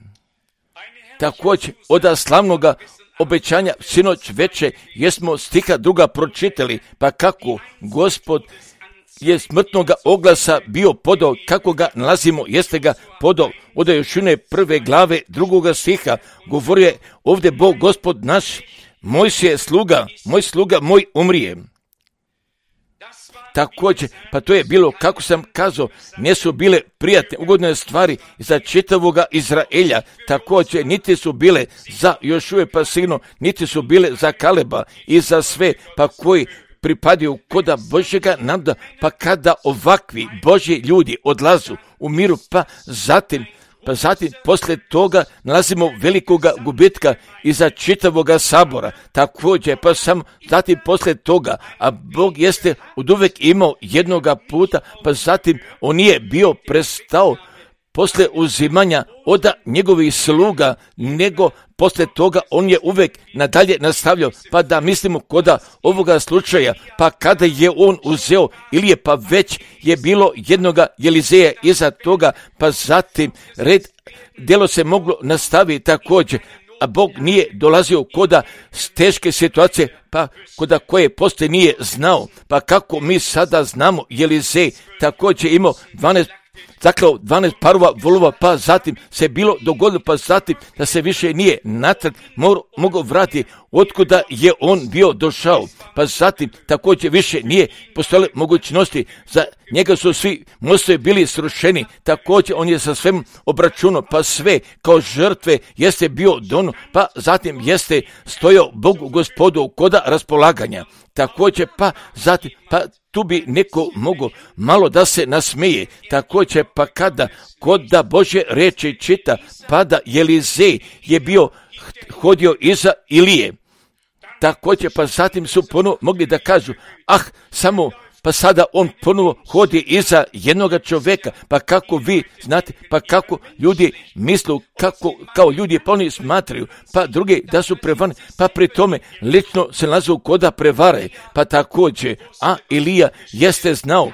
Također od slavnoga obećanja sinoć veče jesmo stiha druga pročitali, pa kako Gospod je smrtnoga oglasa bio podao, kako ga nalazimo, jeste ga podao od Jošujine prve glave drugoga stiha, govori je ovdje Bog Gospod naš, moj je sluga, moj sluga, moj umrije. Također, pa to je bilo, kako sam kazao, ne su bile prijatne, ugodne stvari za čitavoga Izraelja, također niti su bile za Jošuje pa sigurno, niti su bile za Kaleba i za sve, pa koji pripadaju koda Božjega nada, pa kada ovakvi Božji ljudi odlazu u miru, pa zatim, pa zatim poslije toga nalazimo velikoga gubitka iza čitavoga sabora, također pa samo zatim poslije toga, a Bog jeste oduvek imao jednoga puta, pa zatim on nije bio prestao poslije uzimanja od njegovih sluga, nego poslije toga on je uvek nadalje nastavljao, pa da mislimo koda ovoga slučaja, pa kada je on uzeo, ili je pa već je bilo jednoga Elizeja iza toga, pa zatim red, djelo se moglo nastaviti također, a Bog nije dolazio koda teške situacije, pa koda koje poslije nije znao, pa kako mi sada znamo, Elizej također imao dvanaest zaklao dvanaest parova volova, pa zatim se bilo dogodilo, pa zatim da se više nije natrag mogao vratiti otkuda je on bio došao, pa zatim također više nije postojale mogućnosti, za njega su svi mostovi bili srušeni, također on je sa svem obračunao, pa sve kao žrtve jeste bio dono, pa zatim jeste stojao Bogu Gospodu koda raspolaganja, također pa zatim, pa tu bi neko mogao malo da se nasmeje, također pa kada kod da Božje reči čita, pa da Elizej je bio hodio iza Ilije, također pa zatim su ponovo mogli da kažu, ah, samo pa sada on ponovo hodi iza jednoga čovjeka, pa kako vi znate, pa kako ljudi mislu, kako, kao ljudi pa oni smatraju, pa drugi da su prevani, pa pri tome lično se nalazu koda prevare, pa također, a Ilija jeste znao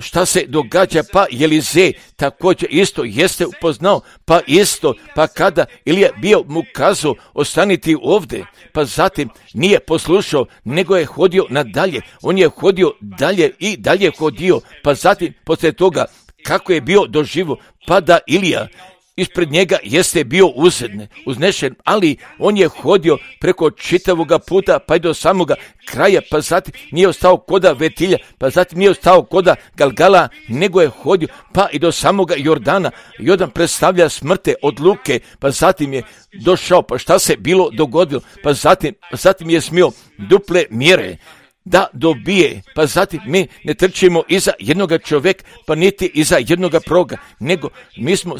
šta se događa, pa Elizej također isto jeste upoznao, pa isto, pa kada Ilija bio mu kazao ostaniti ovdje, pa zatim nije poslušao, nego je hodio nadalje, on je hodio dalje i dalje hodio, pa zatim poslije toga kako je bio doživo, pa da Ilija ispred njega jeste bio uzedne, uznešen, ali on je hodio preko čitavoga puta, pa i do samoga kraja, pa zatim nije ostao koda Vetilja, pa zatim nije ostao koda Galgala, nego je hodio, pa i do samoga Jordana. Jordan predstavlja smrte od Luke, pa zatim je došao, pa šta se bilo dogodilo, pa zatim, zatim je smio duple mjere da dobije, pa zatim mi ne trčimo iza jednoga čovjeka, pa niti iza jednoga proga, nego mi smo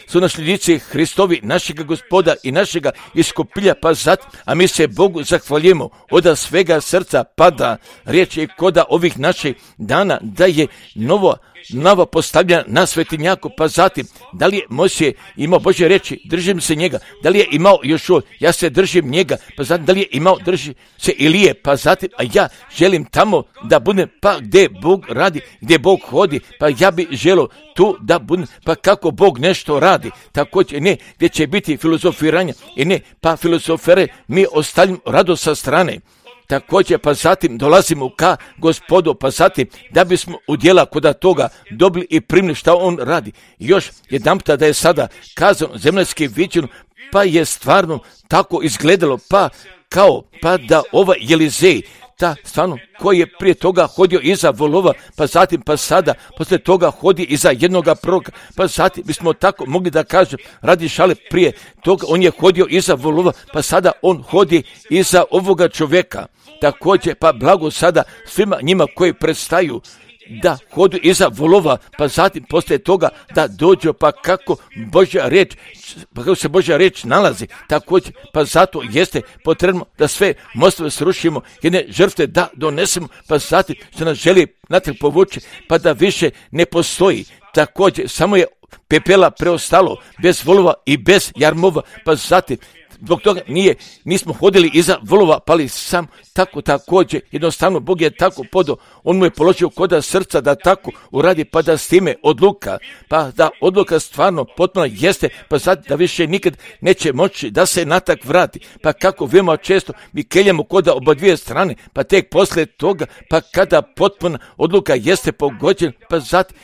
su nasljednici Hristovi, našega Gospoda i našega iskupilja, pa zatim, a mi se Bogu zahvaljujemo od svega srca, pa da riječ je koda ovih naših dana, da je novo nova postavljena na svetinjaku, pa zatim, da li je Mojsije imao Božje reči, držim se njega, da li je imao Jošua, ja se držim njega, pa zatim, da li je imao, drži se Ilije, pa zatim, a ja želim tamo da budem, pa gdje Bog radi, gdje Bog hodi, pa ja bi želio tu da budem, pa kako Bog nešto radi, također ne, gdje će biti filozofiranja, i ne, pa filozofere mi ostavljamo rado sa strane. Također, pa zatim dolazimo ka Gospodu, pa zatim da bismo udjela koda toga dobili i primili šta on radi. I još jedanputa da je sada kazano zemaljski viđeno, pa je stvarno tako izgledalo, pa kao, pa da ovaj Elizej, ta stvarno koji je prije toga hodio iza volova, pa zatim pa sada poslije toga hodi iza jednoga proroka, pa zatim bismo tako mogli da kažem radi šale prije toga on je hodio iza volova, pa sada on hodi iza ovoga čovjeka. Također pa blago sada svima njima koji predstaju da hodu iza volova, pa zatim poslije toga da dođu, pa kako Božja riječ, pa kako se Božja riječ nalazi, također, pa zato jeste potrebno da sve mostove srušimo, jedne žrtve da donesemo, pa zatim što nas želi natrag povući, pa da više ne postoji. Također, samo je pepela preostalo, bez volova i bez jarmova, pa zatim zbog toga nije, nismo hodili iza volova, pali sam tako također, jednostavno Bog je tako podao, on mu je položio koda srca da tako uradi, pa da s time odluka, pa da odluka stvarno potpuno jeste, pa sad da više nikad neće moći da se natak vrati, pa kako veoma često mi keljamo koda oba dvije strane, pa tek poslije toga, pa kada potpuna odluka jeste pogođena, pa zatim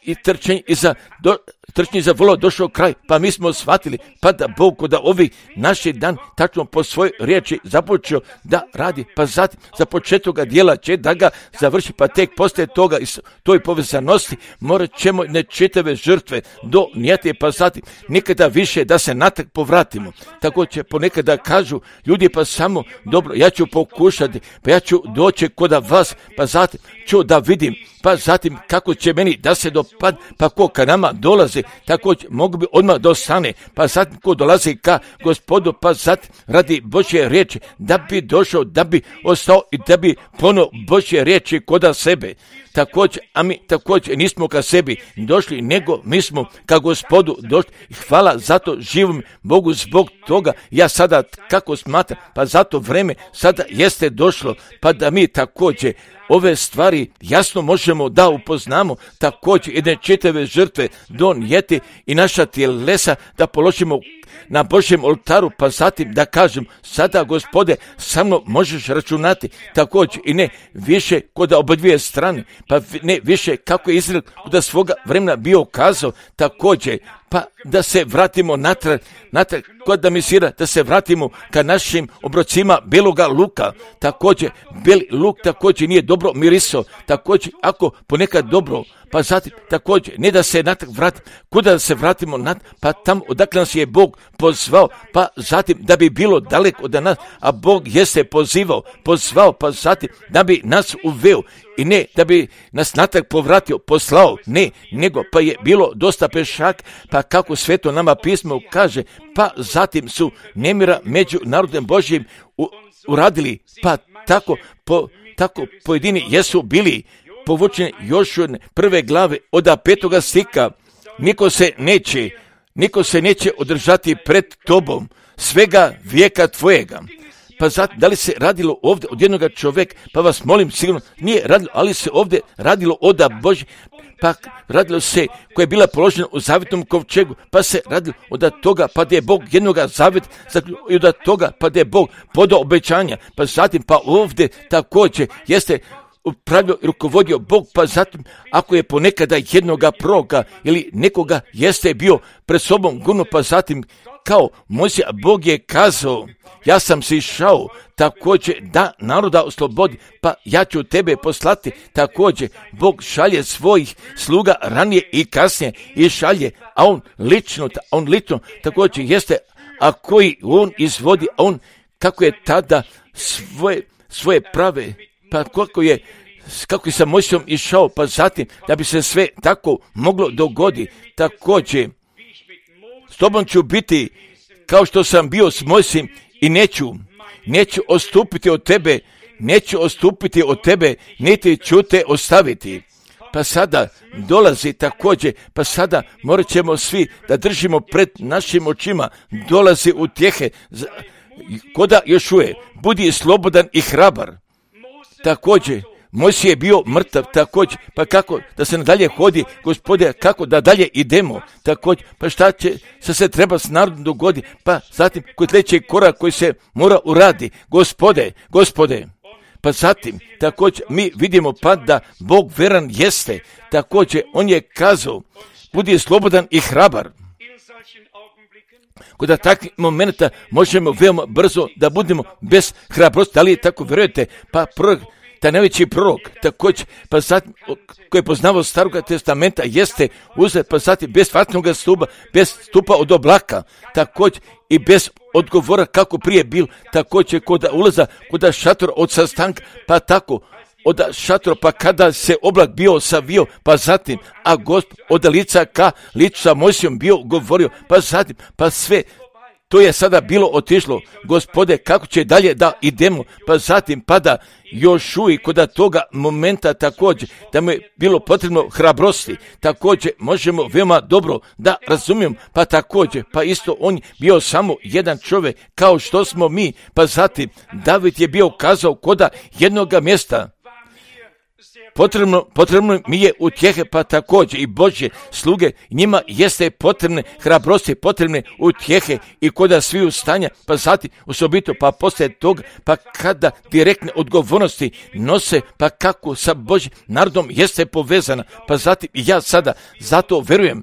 i trčenje iza, do, trčenje iza volova došao kraj, pa mi smo shvatili, pa da Bog kod ovi naši dan tačno po svojoj riječi započeo da radi, pa zatim za početka dijela će da ga završi, pa tek poslije toga i toj povezanosti morat ćemo nečitave žrtve donijeti, pa zatim nikada više da se natrag povratimo. Tako će ponekada kažu ljudi, pa samo dobro, ja ću pokušati, pa ja ću doći kod vas, pa zatim ću da vidim, pa zatim kako će meni da se dopad, pa ko ka nama dolazi, tako mogu bi odmah dostane, pa zatim ko dolazi ka Gospodu, pa zatim radi Božje riječi, da bi došao, da bi ostao i da bi ponovo Božje riječi koda sebe. Također, a mi također nismo ka sebi došli, nego mi smo ka Gospodu došli. Hvala zato živom Bogu zbog toga. Ja sada kako smatram, pa zato vreme sada jeste došlo, pa da mi također ove stvari jasno možemo da upoznamo, također jedne čitave žrtve donijeti i naša tjelesa da položimo na Božjem oltaru, pa zatim da kažem, sada Gospode, sa mnom možeš računati, također i ne više kod obadvije strane, pa ne više kako je Izrael kod svoga vremena bio kazao, također, pa da se vratimo natrag, natrag kod da misira, da se vratimo ka našim obrocima beloga luka, također, beli luk također nije dobro mirisao, također, ako ponekad dobro, pa zatim također, ne da se natrag vratimo, kuda da se vratimo natrag, pa tamo odakle nas je Bog pozvao, pa zatim da bi bilo daleko od nas, a Bog jeste pozivao, pozvao, pa zatim da bi nas uveo i ne da bi nas natrag povratio, poslao, ne, nego pa je bilo dosta pešak, pa kako sveto nama pismo kaže, pa zatim su nemira među narodom Božjim u, uradili, pa tako, po, tako pojedini jesu bili povučeni još od prve glave od petoga stika. Niko se neće, niko se neće održati pred tobom svega vijeka tvojega. Pa zato, da li se radilo ovdje od jednoga čovjeka, pa vas molim, sigurno nije radilo, ali se ovdje radilo od Božje, pa radilo se koja je bila položena u zavjetnom kovčegu, pa se radilo od toga, pa da je Bog jednoga zavjet, i od toga, pa da je Bog podao obećanja, pa zatim, pa ovdje također jeste upravljao i rukovodio Bog, pa zatim ako je ponekada jednoga proroka ili nekoga jeste bio pred sobom gurno, pa zatim kao Mojsija, Bog je kazao, ja sam si išao također da naroda oslobodi, pa ja ću tebe poslati. Također Bog šalje svojih sluga ranije i kasnije i šalje, a on lično, a on lično također jeste, a koji on izvodi, a on kako je tada svoje, svoje prave, pa kako je kako je sa Mojsijom išao, pa zatim da bi se sve tako moglo dogoditi. Također s tobom ću biti kao što sam bio s Mojsijem i neću, neću odstupiti od tebe, neću odstupiti od tebe, niti ću te ostaviti. Pa sada dolazi također, pa sada morat ćemo svi da držimo pred našim očima, dolazi utjehe, koda još uvijek, budi slobodan i hrabar. Također, Mojsije je bio mrtav, također, pa kako da se nadalje hodi, Gospode, kako da dalje idemo, također, pa šta će se se treba s narodom dogoditi, pa zatim koji sljedeći korak koji se mora uradi, Gospode, Gospode, pa zatim, također, mi vidimo pa da Bog veran jeste, također, on je kazao, budi slobodan i hrabar. Kod takvih momenta možemo veoma brzo da budemo bez hrabrosti, da li tako vjerujete, pa prorok, taj najveći prorok, također, pa zatim, koji je poznavao Staroga testamenta, jeste uzet, pa zatim, bez vatnog stupa, bez stupa od oblaka, također, i bez odgovora kako prije bil, također, kod ulaza, kod šatora od sastanka, pa tako, od šatora, pa kada se oblak bio savio, pa zatim, a Gospod od lica ka licu sa Mojsijom bio govorio, pa zatim, pa sve, to je sada bilo otišlo, Gospode, kako će dalje da idemo, pa zatim pada još uvijek kod toga momenta također, da mu je bilo potrebno hrabrosti, također možemo veoma dobro da razumijemo, pa također, pa isto on bio samo jedan čovjek, kao što smo mi, pa zatim David je bio kazao koda jednoga mjesta, Potrebno, potrebno mi je utjehe, pa također i Božje sluge, njima jeste potrebne hrabrosti, potrebne utjehe i koda svi stanja, pa zatim osobito, pa poslije toga, pa kada direktne odgovornosti nose, pa kako sa Božjim narodom jeste povezana, pa zatim i ja sada zato verujem,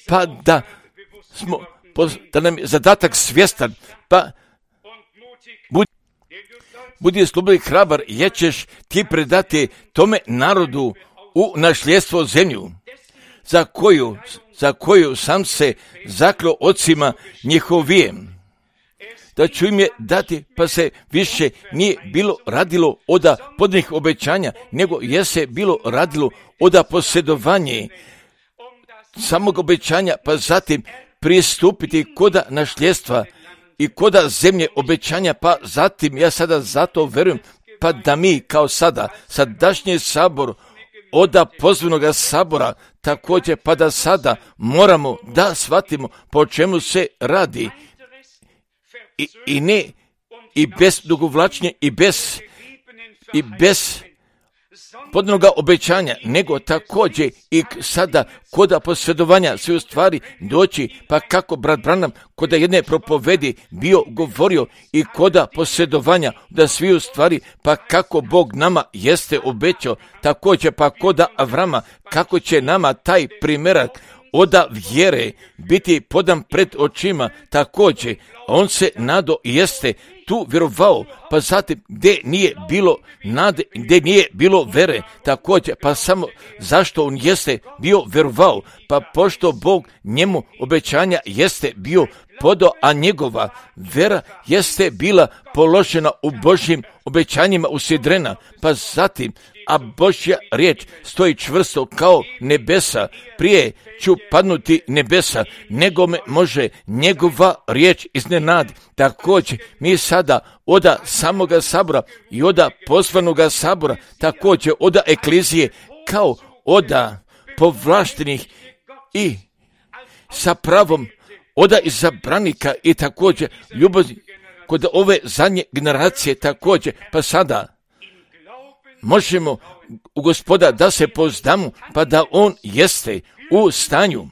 pa da smo, da nam je zadatak svjestan, pa budi Budi slobodan i hrabar, jer ćeš ti predati tome narodu u našljedstvo zemlju, za koju, za koju sam se zakleo ocima njihovijem. Da ću im je dati, pa se više nije bilo radilo oda podnih obećanja, nego je se bilo radilo oda posjedovanje samog obećanja, pa zatim pristupiti koda našljedstva i koda zemlje obećanja, pa zatim ja sada zato verujem, pa da mi kao sada, sadašnji sabor, oda pozvanoga sabora, također pa da sada moramo da shvatimo po čemu se radi i, i ne, i bez dugovlačnje, i bez, i bez podnoga obećanja, nego također i sada koda posvjedovanja sve u stvari doći, pa kako brat Branham koda jedne propovedi bio govorio i koda posvjedovanja da svi u stvari, pa kako Bog nama jeste obećao, također pa koda Avrama, kako će nama taj primjerak oda vjere biti podan pred očima, također on se nado jeste tu vjerovao, pa zatim gdje nije bilo nade, gdje nije bilo vere, također pa samo zašto on jeste bio vjerovao, pa pošto Bog njemu obećanja jeste bio podao, a njegova vera jeste bila položena u Božjim obećanjima usidrena, pa zatim a Božja riječ stoji čvrsto kao nebesa, prije ću padnuti nebesa, nego me može njegova riječ iznenadi. Također mi sada oda samoga sabora i oda poslanoga sabora, također oda eklizije, kao oda povlaštenih i sa pravom oda izabranika i također ljubazni kod ove zadnje generacije također, pa sada možemo u Gospoda da se pozdamo, pa da on jeste u stanju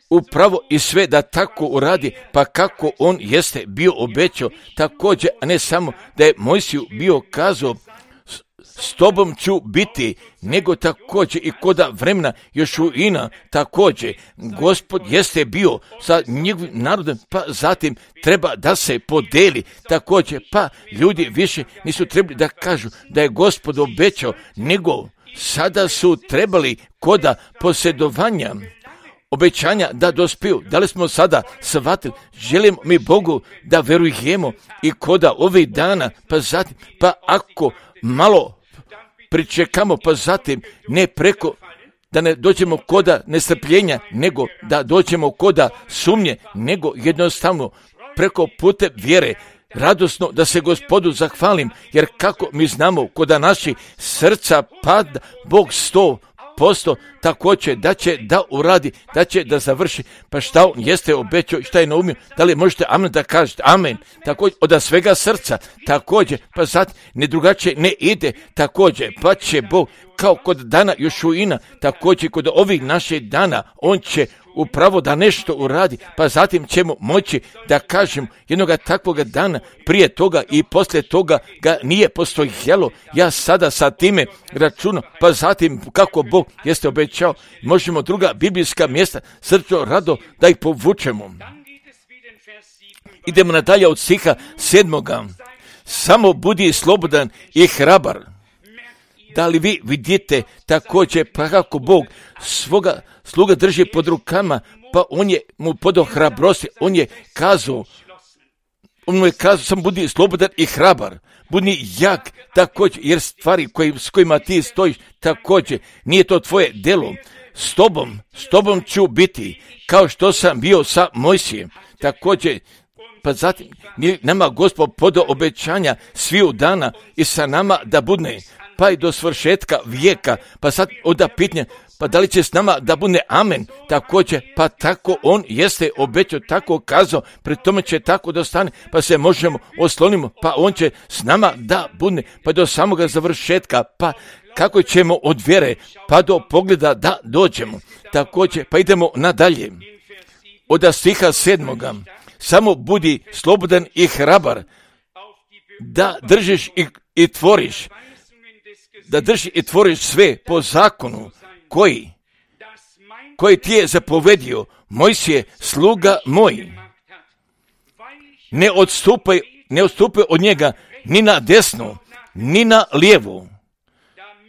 upravo i sve da tako uradi, pa kako on jeste bio obećao, također, a ne samo da je Mojsiju bio kazao s tobom ću biti, nego također i koda vremena Jošuina, također Gospod jeste bio sa njegovim narodom, pa zatim treba da se podeli, također pa ljudi više nisu trebali da kažu da je Gospod obećao, nego sada su trebali koda posjedovanja obećanja da dospiju. Da li smo sada shvatili, želimo mi Bogu da verujemo i koda ovih dana, pa zatim, pa ako malo pričekamo, pa zatim ne preko, da ne dođemo koda nestrpljenja, nego da dođemo koda sumnje, nego jednostavno preko pute vjere, radosno da se Gospodu zahvalim, jer kako mi znamo koda naši srca pada, Bog sto posto također da će da uradi, da će da završi, pa šta on jeste obećao i šta je naumio, da li možete amen da kažete amen, također od svega srca, također, pa zatim ne drugačije ne ide, također, pa će Bog kao kod dana Jošuina, također kod ovih naših dana, on će upravo da nešto uradi, pa zatim ćemo moći da kažem jednoga takvoga dana, prije toga i poslije toga ga nije postojalo, ja sada sa time računam, pa zatim kako Bog jeste obećao, možemo druga biblijska mjesta srčno rado da ih povučemo. Idemo nadalje od stiha sedmoga. Samo budi slobodan i hrabar. Da li vi vidite također pa kako Bog svoga sluga drži pod rukama, pa on je mu podao hrabrosti, on je kazao, on mu je kazao, sam budi slobodan i hrabar, budi jak također, jer stvari koji, s kojima ti stojiš također, nije to tvoje delo, s tobom, s tobom ću biti, kao što sam bio sa Mojsijem, također, pa zatim nama Gospod podao obećanja sviju dana i sa nama da budne, pa i do svršetka vijeka, pa sad onda pitanje, pa da li će s nama da bude amen, također, pa tako on jeste obećao, tako kazao, pri tome će tako da stane, pa se možemo oslonimo, pa on će s nama da bude, pa do samoga završetka, pa kako ćemo od vjere, pa do pogleda da dođemo, također, pa idemo nadalje, od stiha sedmoga, samo budi slobodan i hrabar, da držiš i, i tvoriš, da drži i tvoriš sve po zakonu koji, koji ti je zapovedio Mojsije, sluga moj. Ne odstupaj, ne odstupaj od njega ni na desnu, ni na lijevu,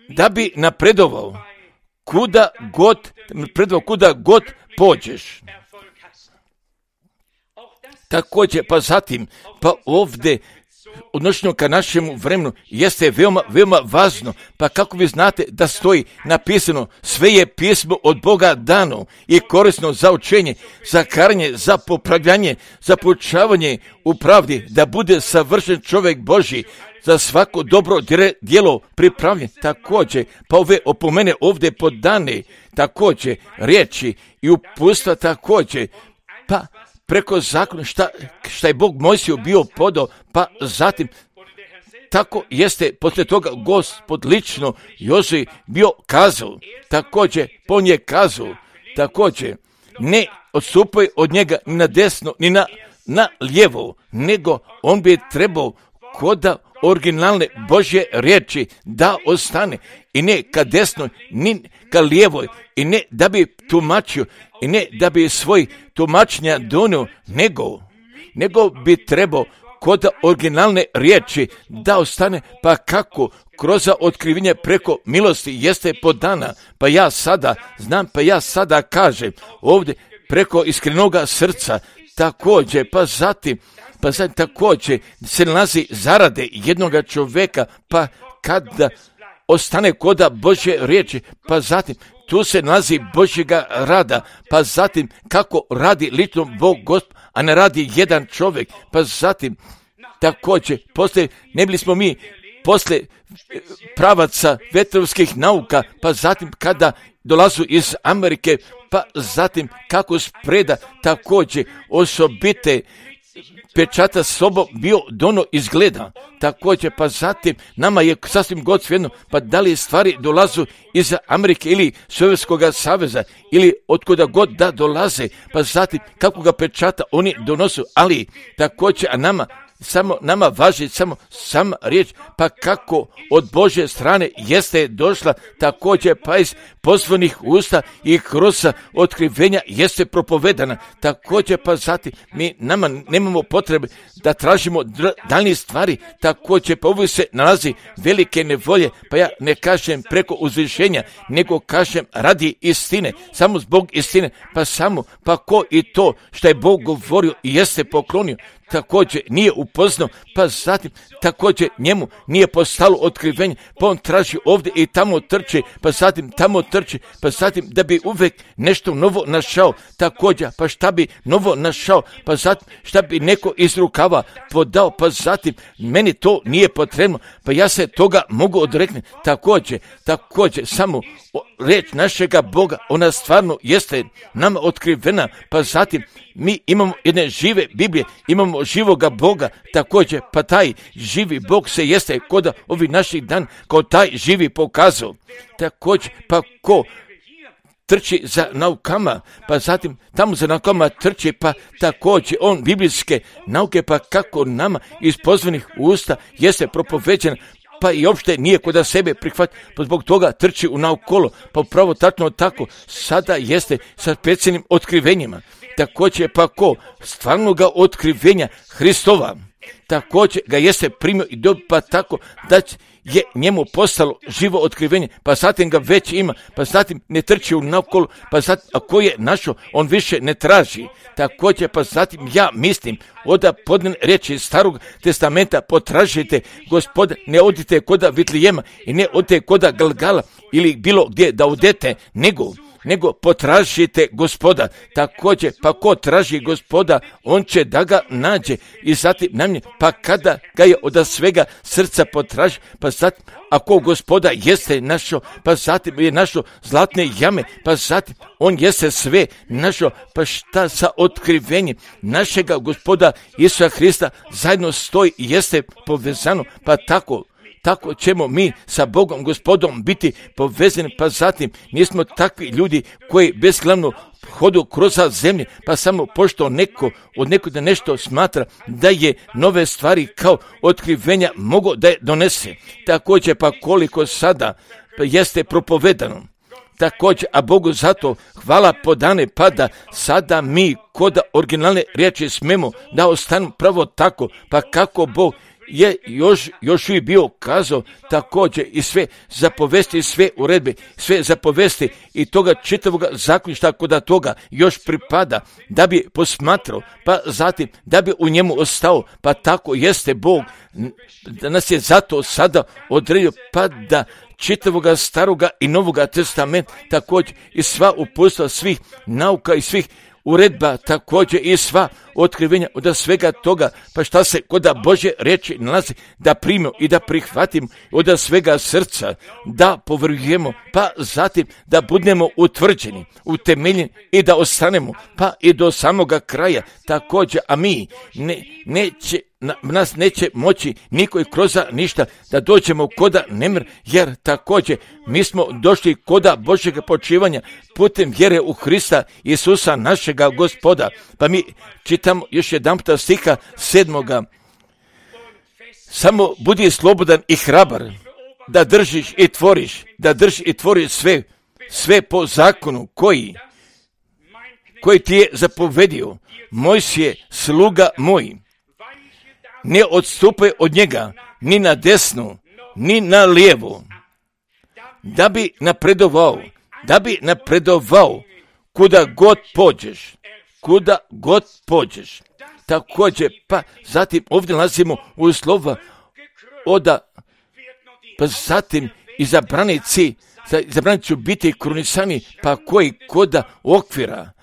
da bi napredovao kuda god, napredovao kuda god pođeš. Također, pa zatim, pa ovdje, odnošeno ka našemu vremenu, jeste veoma, veoma važno, pa kako vi znate da stoji napisano, sve je pismo od Boga dano i korisno za učenje, za karanje, za popravljanje, za poučavanje u pravdi, da bude savršen čovjek Božji, za svako dobro djelo pripravljen. Također, pa ove opomene ovdje podane, također, riječi i upustva također, pa preko zakona šta, šta je Bog Mojsiju bio podao, pa zatim tako jeste poslije toga Gospod lično Jozuji bio kazao, također po nje kazao, također ne odstupaj od njega ni na desno, ni na, na lijevo, nego on bi trebao koda originalne Božje riječi da ostane i ne ka desnoj, ni ka lijevoj, i ne da bi tumačio, i ne da bi svoj tumačenja donio, nego, nego bi trebao kod originalne riječi da ostane, pa kako kroz otkrivenje preko milosti jeste podana, pa ja sada znam, pa ja sada kažem ovdje preko iskrenoga srca, također, pa zatim, pa zatim također se nalazi zarade jednoga čovjeka, pa kada ostane koda Božje riječi, pa zatim tu se nalazi Božjega rada, pa zatim kako radi lično Bog Gospod, a ne radi jedan čovjek, pa zatim također poslije, ne bili smo mi poslije pravaca vetrovskih nauka, pa zatim kada dolazu iz Amerike, pa zatim kako spreda također osobite pečata sobom bio dono izgleda, također pa zatim nama je sasvim god svejedno, pa da li stvari dolazu iz Amerike ili Sovjetskog saveza ili otkuda god da dolaze, pa zatim kako ga pečata oni donosu, ali također a nama samo nama važi samo sama riječ, pa kako od Božje strane jeste došla, također pa iz pozvanih usta i kroz otkrivenja jeste propovedana, također pa zatim mi nama nemamo potrebe da tražimo dr- daljnje stvari, također pa uvijek se nalazi velike nevolje, pa ja ne kažem preko uzvišenja, nego kažem radi istine, samo zbog istine, pa samo, pa ko i to što je Bog govorio i jeste poklonio, također nije upoznao, pa zatim također njemu nije postalo otkrivenje, pa on traži ovdje i tamo trči, pa zatim tamo trči, pa zatim da bi uvijek nešto novo našao, također pa šta bi novo našao, pa zatim šta bi neko iz rukava podao, pa zatim meni to nije potrebno, pa ja se toga mogu odreknuti, također, također samo riječ našega Boga, ona stvarno jeste nama otkrivena, pa zatim mi imamo jedne žive Biblije, imamo živoga Boga, također pa taj živi Bog se jeste kod ovih naših dan kao taj živi pokazao, također pa ko trči za naukama, pa zatim tamo za naukama trči, pa također on biblijske nauke, pa kako nama iz pozvanih usta jeste propoveđen, pa i uopšte nije kod sebe prihvat, pa zbog toga trči u naokolo, pa upravo tačno tako sada jeste sa specijalnim otkrivenjima, također pa ko stvarnoga otkrivenja Hristova, također ga jeste primio i dobio, pa tako da je njemu postalo živo otkrivenje, pa zatim ga već ima, pa zatim ne trči u naokolo, pa zatim ako je našo, on više ne traži, također pa zatim ja mislim oda podne riječi Starog testamenta potražite Gospoda, ne odite koda Vitlijema i ne odite koda Galgala ili bilo gdje da odete, nego nego potražite Gospoda, također pa ko traži Gospoda, on će da ga nađe i zatim namnje, pa kada ga je od svega srca potraži, pa zatim ako Gospoda jeste našo, pa zatim je našo zlatne jame, pa zatim on jeste sve našo, pa šta sa otkrivenjem našega Gospoda Isusa Hrista zajedno stoji i jeste povezano, pa tako tako ćemo mi sa Bogom Gospodom biti povezani, pa zatim nismo takvi ljudi koji bezglavno hodu kroz zemlje, pa samo pošto neko od nekoga nešto smatra da je nove stvari kao otkrivenja mogo da je donese. Također pa koliko sada jeste propovedano. Također, a Bogu zato hvala podane, pa da sada mi kod originalne riječi smemo da ostanu pravo tako, pa kako Bog je još, još uvijek bio kazao, također i sve zapovesti, sve uredbe, sve zapovesti i toga čitavoga zaključka kod toga još pripada da bi posmatrao, pa zatim da bi u njemu ostao, pa tako jeste Bog, da nas je zato sada odredio, pa da čitavoga staroga i novoga testamenta, također i sva uputstva svih nauka i svih uredba, također i sva otkrivenja, od svega toga, pa šta se kod Božje riječi nalazi, da primimo i da prihvatimo od svega srca, da povrujemo, pa zatim da budemo utvrđeni, utemeljeni i da ostanemo, pa i do samoga kraja također, a mi ne, neće, na, nas neće moći niko i kroz ništa da dođemo koda nemir, jer također mi smo došli koda Božjega počivanja putem vjere u Hrista Isusa našega Gospoda. Pa mi čitamo još jedan puta stiha sedmoga. Samo budi slobodan i hrabar, da držiš i tvoriš, da držiš i tvoriš sve, sve po zakonu koji, koji ti je zapovedio, Mojsije, sluga moj. Ne odstupaj od njega, ni na desnu, ni na lijevu, da bi napredovao, da bi napredovao kuda god pođeš, kuda god pođeš. Također, pa zatim ovdje nalazimo u slova oda, pa zatim izabranici, izabranici će biti krunisani, pa koji koda okvira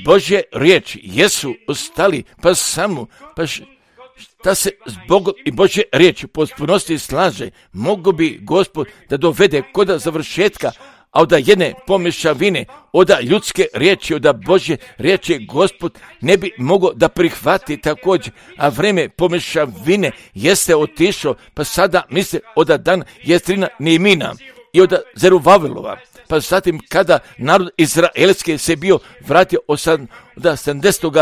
Božje riječi jesu ostali, pa samo, pa š, da se zbog i Božje riječi potpunosti slaže, mogu bi Gospod da dovede koda završetka, a od jedne pomješavine, od ljudske riječi, od Božje riječi Gospod ne bi mogao da prihvati također, a vreme pomješavine jeste otišao, pa sada misle od dan Jestrina Nehemina i od Zerubavelova. Pa zatim kada narod izraelski se bio vratio od sedamdesetog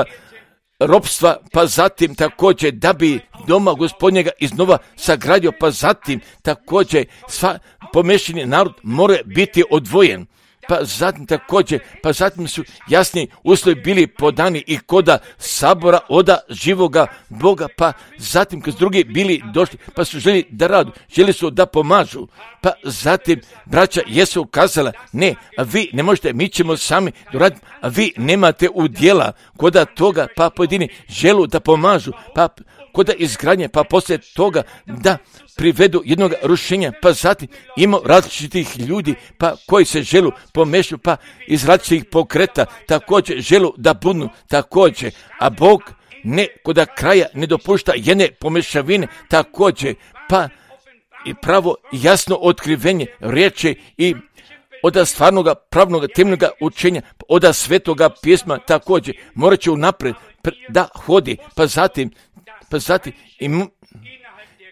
ropstva, pa zatim također da bi doma Gospodnjega iznova sagradio, pa zatim također sva pomešani narod mora biti odvojen. Pa zatim također, pa zatim su jasni uslovi bili podani i koda sabora oda živoga Boga, pa zatim kad drugi bili došli, pa su želi da radu, želi su da pomažu, pa zatim braća jesu kazala, ne, a vi ne možete, mi ćemo sami doraditi, a vi nemate udjela koda toga, pa pojedini želu da pomažu, pa koda izgradnje, pa poslije toga da privedu jednog rušenja, pa zatim ima različitih ljudi, pa koji se želu pomešu, pa iz različitih pokreta također želu da budnu također, a Bog ne koda kraja ne dopušta jedne pomešavine također, pa i pravo jasno otkrivenje riječi i od stvarnoga pravnoga temeljnoga učenja, od svetoga pisma također morat će unaprijed da hodi, pa zatim pa zatim i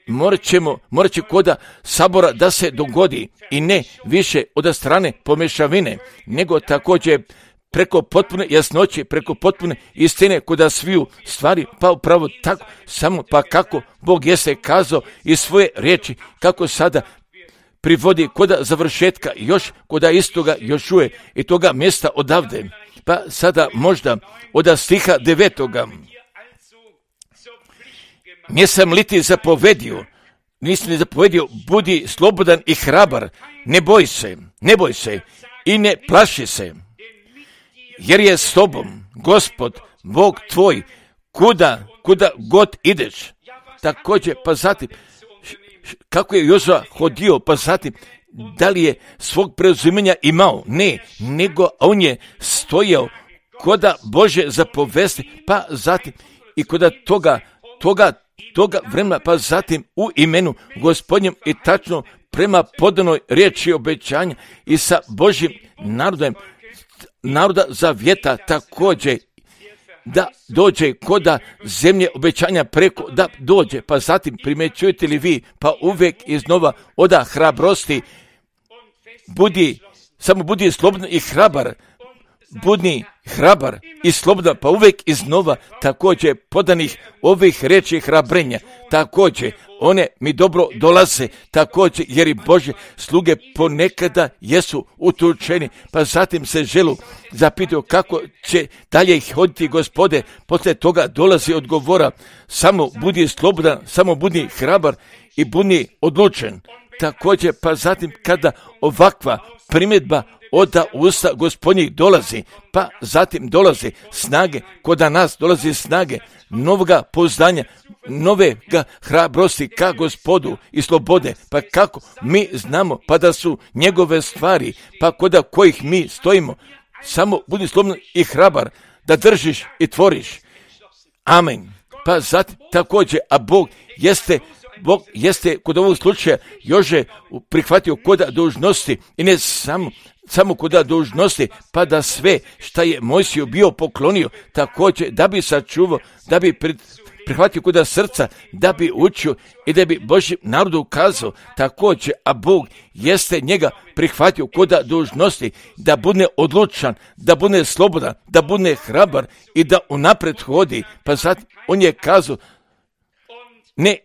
morat ćemo, morat će koda sabora da se dogodi i ne više od strane pomešavine, nego također preko potpune jasnoće, preko potpune istine koda sviju stvari, pa upravo tako, samo pa kako Bog jeste kazao iz svoje riječi, kako sada privodi koda završetka, još koda istoga još uje i toga mjesta odavde. Pa sada možda od stiha devetoga. Nisam li ti zapovedio, nisam li zapovedio, budi slobodan i hrabar, ne boj se, ne boj se i ne plaši se, jer je s tobom Gospod, Bog tvoj, kuda, kuda god ideš. Također, pa zatim, kako je Jozua hodio, pa zatim, da li je svog preuzimanja imao? Ne, nego on je stojao koda Bože zapovesti, pa zatim i koda toga, toga, toga vremena, pa zatim u imenu Gospodnjem i tačno prema podanoj riječi obećanja i sa Božjim narodom, naroda zavjeta također, da dođe koda zemlje obećanja preko, da dođe, pa zatim primjećujete li vi, pa uvijek iznova oda hrabrosti, budi, samo budi slobodan i hrabar, budni hrabar i slobodan, pa uvijek iznova također podanih ovih riječi hrabrenja, također one mi dobro dolaze, također jer i Božje sluge ponekada jesu utučeni, pa zatim se želu zapitaju kako će dalje ih hoditi Gospode, poslije toga dolazi odgovora, samo budi slobodan, samo budi hrabar i budi odlučen. Također, pa zatim kada ovakva primjedba od usta Gospodnjih dolazi, pa zatim dolazi snage, koda nas dolazi snage, novoga pouzdanja, novega hrabrosti ka Gospodu i slobode, pa kako mi znamo, pa da su njegove stvari, pa koda kojih mi stojimo, samo budi slobodan i hrabar, da držiš i tvoriš, Amen. Pa zatim također, a Bog jeste, Bog jeste kod ovog slučaja Jože prihvatio koda dužnosti i ne samo, samo koda dužnosti, pa da sve šta je Mojsiju bio poklonio, također da bi sačuvao, da bi pred, prihvatio koda srca, da bi učio i da bi Božjem narodu ukazao, također, a Bog jeste njega prihvatio koda dužnosti, da bude odlučan, da bude slobodan, da bude hrabar i da unaprijed hodi. Pa sad on je kazao, ne,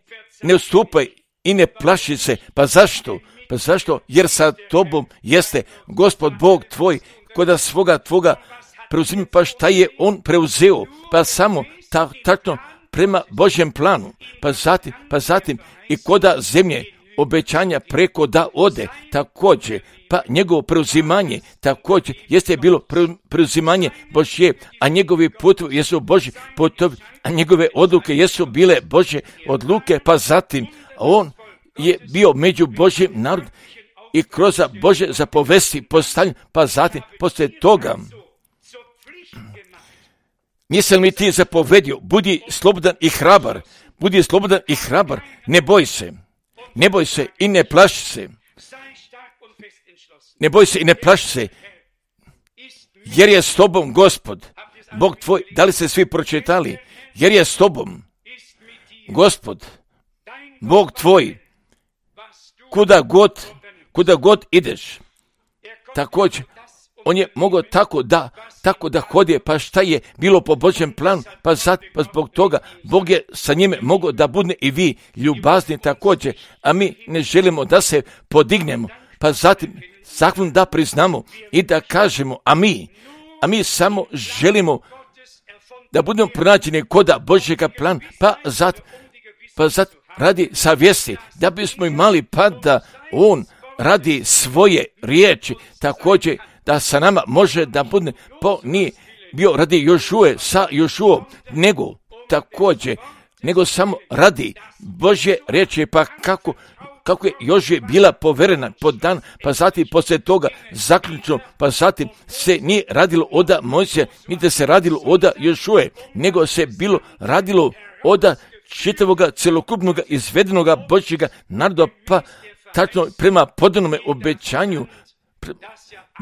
ne ustupaj i ne plaši se. Pa zašto? Pa zašto? Jer sa tobom jeste Gospod Bog tvoj, koda svoga tvoga preuzimi. Pa šta je on preuzeo? Pa samo ta, tačno prema Božjem planu. Pa zatim, pa zatim i koda zemlje obećanja preko da ode, također, pa njegovo preuzimanje, također, jeste bilo preuzimanje Božje, a njegovi putovi jesu Božji putovi, a njegove odluke jesu bile Božje odluke, pa zatim, on je bio među Božjim narodom i kroz Božje zapovesti postavljen, pa zatim, poslije toga, nisam li ti zapovedio, budi slobodan i hrabar, budi slobodan i hrabar, ne boj se. Ne boj se i ne plaši se. Ne boj se i ne plaši se. Jer je s tobom Gospod, Bog tvoj. Da li ste svi pročitali? Jer je s tobom Gospod, Bog tvoj. Kuda god, kuda god ideš. Također, on je mogao tako da, tako da hodje, pa šta je bilo po Božjem planu, pa sad, pa zbog toga, Bog je sa njime mogao da bude i vi ljubazni također, a mi ne želimo da se podignemo, pa zatim, zakon da priznamo i da kažemo, a mi, a mi samo želimo da budemo pronađeni koda Božjega plana, pa zatim, pa zatim radi savjesti, da bismo imali pa da on radi svoje riječi, također, da sa nama može da bude, po nije bio radi Jošue, sa Jošuom, nego također, nego samo radi Božje riječi, pa kako, kako je Jožije bila poverena pod dan, pa zatim poslije toga zaključno, pa zatim se nije radilo oda Mojsija, niti se radilo oda Jošue, nego se bilo radilo oda čitavoga celokupnog izvedenoga Božjega naroda, pa tačno prema podanome obećanju,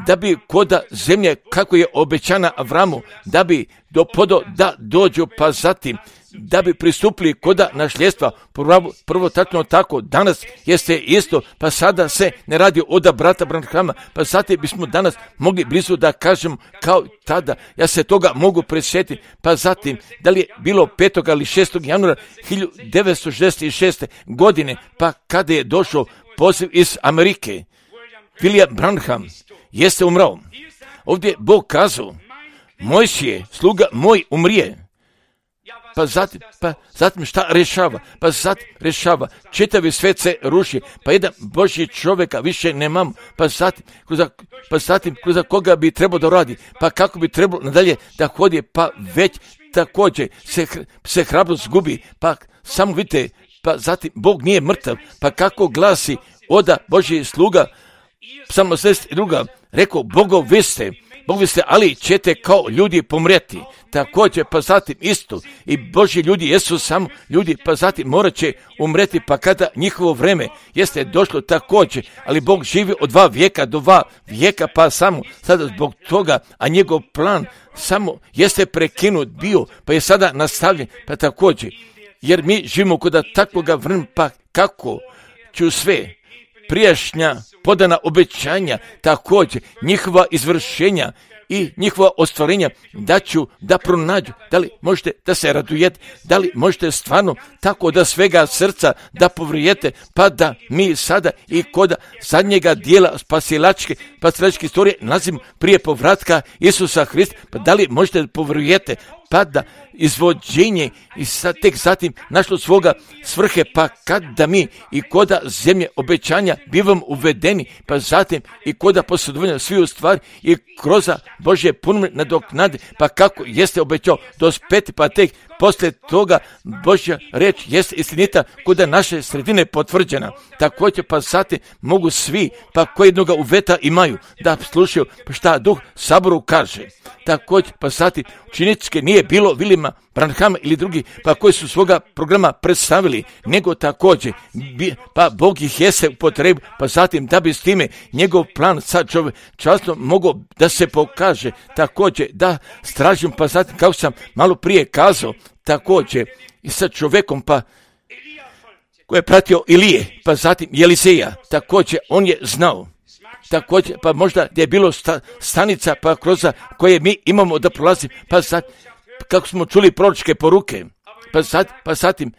da bi koda zemlje kako je obećana Avramu, da bi do podo da dođu, pa zatim da bi pristupili koda nasljedstva, prvo, prvo tačno tako, danas jeste isto, pa sada se ne radi oda brata Branhama, pa zatim bismo danas mogli blizu da kažemo kao tada, ja se toga mogu presjetiti, pa zatim, da li je bilo petog ili šestog januara hiljadu devetsto šezdeset šeste. godine, pa kada je došao poziv iz Amerike, William Branham jeste umrao. Ovdje Bog kazao, Mojsije, sluga moj, umrije. Pa zatim, pa zatim šta rešava? Pa zatim rešava, čitavi svet se ruši, pa jedan Božji čovjeka više nemamo, pa zatim, kroz, pa zatim kroz koga bi trebao da radi, pa kako bi trebalo nadalje da hodi, pa već također se, se hrabrost gubi, pa samo vidite, pa zatim Bog nije mrtav, pa kako glasi oda Božji sluga, Psalm osamdeset dva, rekao, Bogov vi ste, Bog vi ste, ali ćete kao ljudi pomreti. Također, pa zatim isto, i Božji ljudi jesu samo ljudi, pa zatim morat će umreti, pa kada njihovo vreme jeste došlo također, ali Bog živi od dva vijeka do dva vijeka, pa samo sada zbog toga, a njegov plan samo jeste prekinut bio, pa je sada nastavljen, pa također, jer mi živimo kod takvoga vremena, pa kako ću sve prijašnja podana obećanja, također njihova izvršenja i njihova ostvarenja da ću da pronađu. Da li možete da se radujete, da li možete stvarno tako da svega srca da povrijete, pa da mi sada i kod zadnjega dijela spasilačke, spasilačke istorije nalazimo prije povratka Isusa Hrista, pa da li možete da povrijete, pa da izvođenje i sad tek zatim našlo svoga svrhe, pa kad da mi i koda zemlje obećanja bivam uvedeni, pa zatim i koda posjedovanja svi u stvari i kroz Božje puno nadoknade, pa kako jeste obećao dospeti, pa tek poslije toga Božja riječ jest istinita kuda naše sredine potvrđena. Također pa zatim mogu svi, pa koji jednoga uveta imaju, da slušaju šta Duh Saboru kaže. Također pa zatim učeničke nije bilo Vilima Branhama ili drugi, pa koji su svoga programa predstavili, nego također, pa Bog ih jeste u potrebu, pa zatim da bi s time njegov plan sa čovječanstvom mogao da se pokaže, također da stražim, pa zatim kako sam malo prije kazao, također i sa čovjekom, pa koji je pratio Ilije, pa zatim Eliseja, također on je znao. Također, pa možda je bilo sta, stanica pa kroz koje mi imamo da prolazi, pa sad, kako smo čuli proročke poruke, pa sad, pa zatim,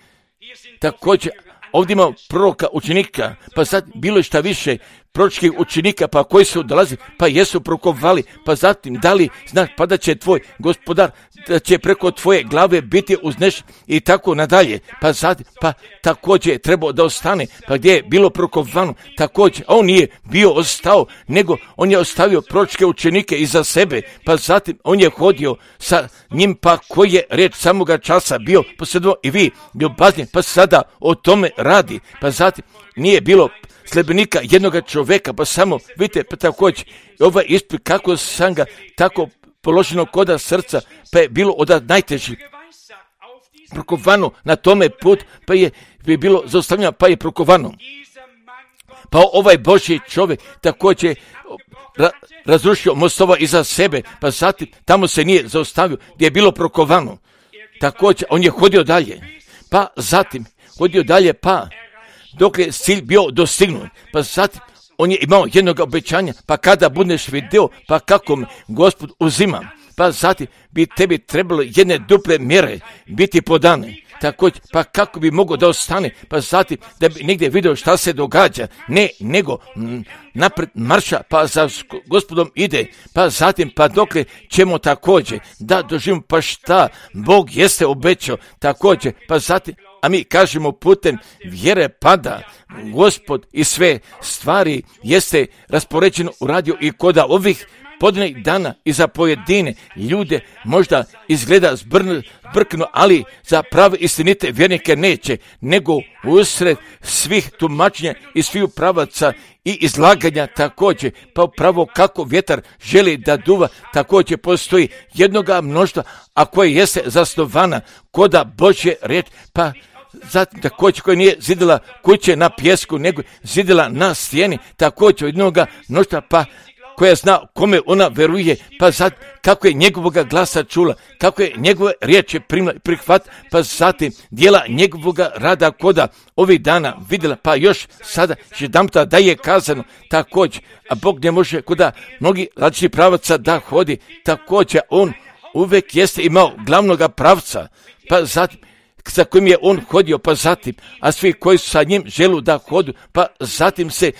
također, ovdje imamo proroka učenika, pa sad bilo je šta više proročkih učenika, pa koji su dolazi, pa jesu prokovali, pa zatim dali znak, pa da će tvoj gospodar, da će preko tvoje glave biti uznešen i tako nadalje, pa zatim, pa također je trebao da ostane, pa gdje je bilo prokovano, također, on nije bio ostao, nego on je ostavio proročke učenike iza sebe, pa zatim on je hodio sa njim, pa koji je reč samoga časa bio posredno i vi ljubazni, pa sada o tome radi, pa zatim nije bilo sljedbenika jednoga čovjeka, pa samo, vidite, pa također, ovaj ispit kako sam ga tako položeno koda srca, pa je bilo od najtežih prokovano na tome put, pa je, pa je bilo zaustavljeno, pa je prokovano. Pa ovaj Božji čovjek također ra, razrušio mostova iza sebe, pa zatim tamo se nije zaustavio gdje je bilo prokovano. Također on je hodio dalje, pa zatim hodio dalje, pa dok je cilj bio dostignut, pa zatim on je imao jednog obećanja, pa kada budeš vidio, pa kako mi Gospod uzima, pa zatim bi tebi trebalo jedne duple mjere biti podane. Također, pa kako bi mogao da ostane, pa zatim da bi negdje vidio šta se događa, ne, nego m, napred marša, pa za Gospodom ide, pa zatim, pa dokle ćemo također da doživimo, pa šta Bog jeste obećao, također, pa zatim, a mi kažemo putem vjere pada Gospod i sve stvari jeste raspoređeno uradio i koda ovih podnih dana i za pojedine ljude možda izgleda zbrkno, ali za prave istinite vjernike neće, nego usred svih tumačenja i svih pravaca i izlaganja također, pa upravo kako vjetar želi da duva, također postoji jednoga mnoštva, a koje jeste zasnovana koda Božje riječ, pa zatim također koja nije zidila kuće na pjesku, nego zidila na stijeni, također jednoga mnoštva, pa koja zna kome ona veruje, pa sad kako je njegovoga glasa čula, kako je njegove riječi primila i prihvat, pa zatim dijela njegovoga rada koda ovih dana vidjela, pa još sada jedanputa da je kazano također, a Bog ne može koda mnogi različitih pravaca da hodi, također on uvijek jeste imao glavnoga pravca, pa zatim sa kojim je on hodio, pa zatim, a svi koji su sa njim želu da hodu, pa zatim se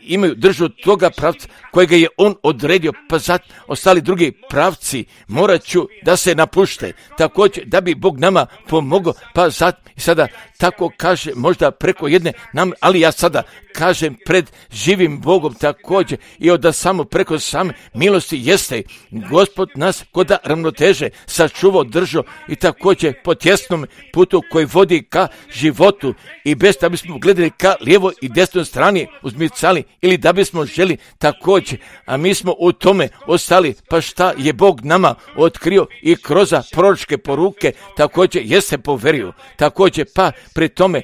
imaju držu toga pravca kojega je on odredio, pa zatim ostali drugi pravci morat ću da se napušte, također da bi Bog nama pomogao, pa zatim i sada tako kaže možda preko jedne nam, ali ja sada kažem pred živim Bogom također i od da samo preko same milosti jeste Gospod nas koda ravnoteže sačuvao, držao i također po tjesnom putu koji vodi ka životu i bez da bismo gledali ka lijevoj i desnoj strani uzmicali ili da bismo želi također, a mi smo u tome ostali, pa šta je Bog nama otkrio i kroz proročke poruke također jeste poverio, također pa pri tome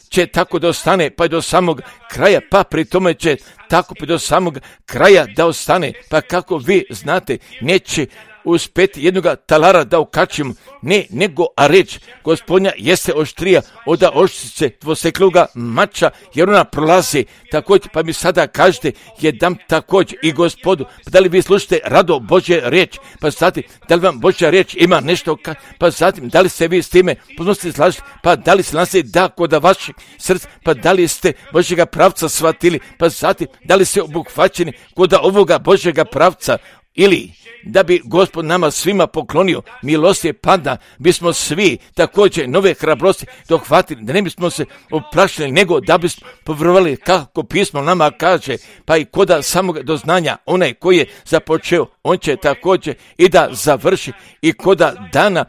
će tako da ostane pa do samog kraja, pa pri tome će tako pa do samog kraja da ostane, pa kako vi znate neće uspjeti jednoga talara da okačimo, ne, nego a reč Gospodnja jeste oštrija od oštrice dvosekluga mača, jer ona prolazi, također, pa mi sada kažete, jedan također i Gospodu, pa da li vi slušate rado Božje riječ, pa zatim, da li vam Božja riječ ima nešto, ka, pa zatim, da li se vi s time poznosti slažete, pa da li se nas da kod vašeg srca, pa da li ste Božjega pravca shvatili, pa zatim, da li ste obuhvaćeni kod ovoga Božjega pravca, ili da bi Gospod nama svima poklonio milosti pada, bismo svi također nove hrabrosti dohvatili, da ne bismo se oplašili, nego da bismo povjerovali kako pismo nama kaže, pa i koda samog doznanja onaj koji je započeo, on će također i da završi i koda dana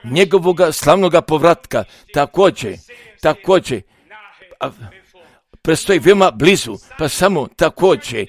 njegovoga slavnoga povratka. Također, također, prestoji veoma blizu, pa samo također,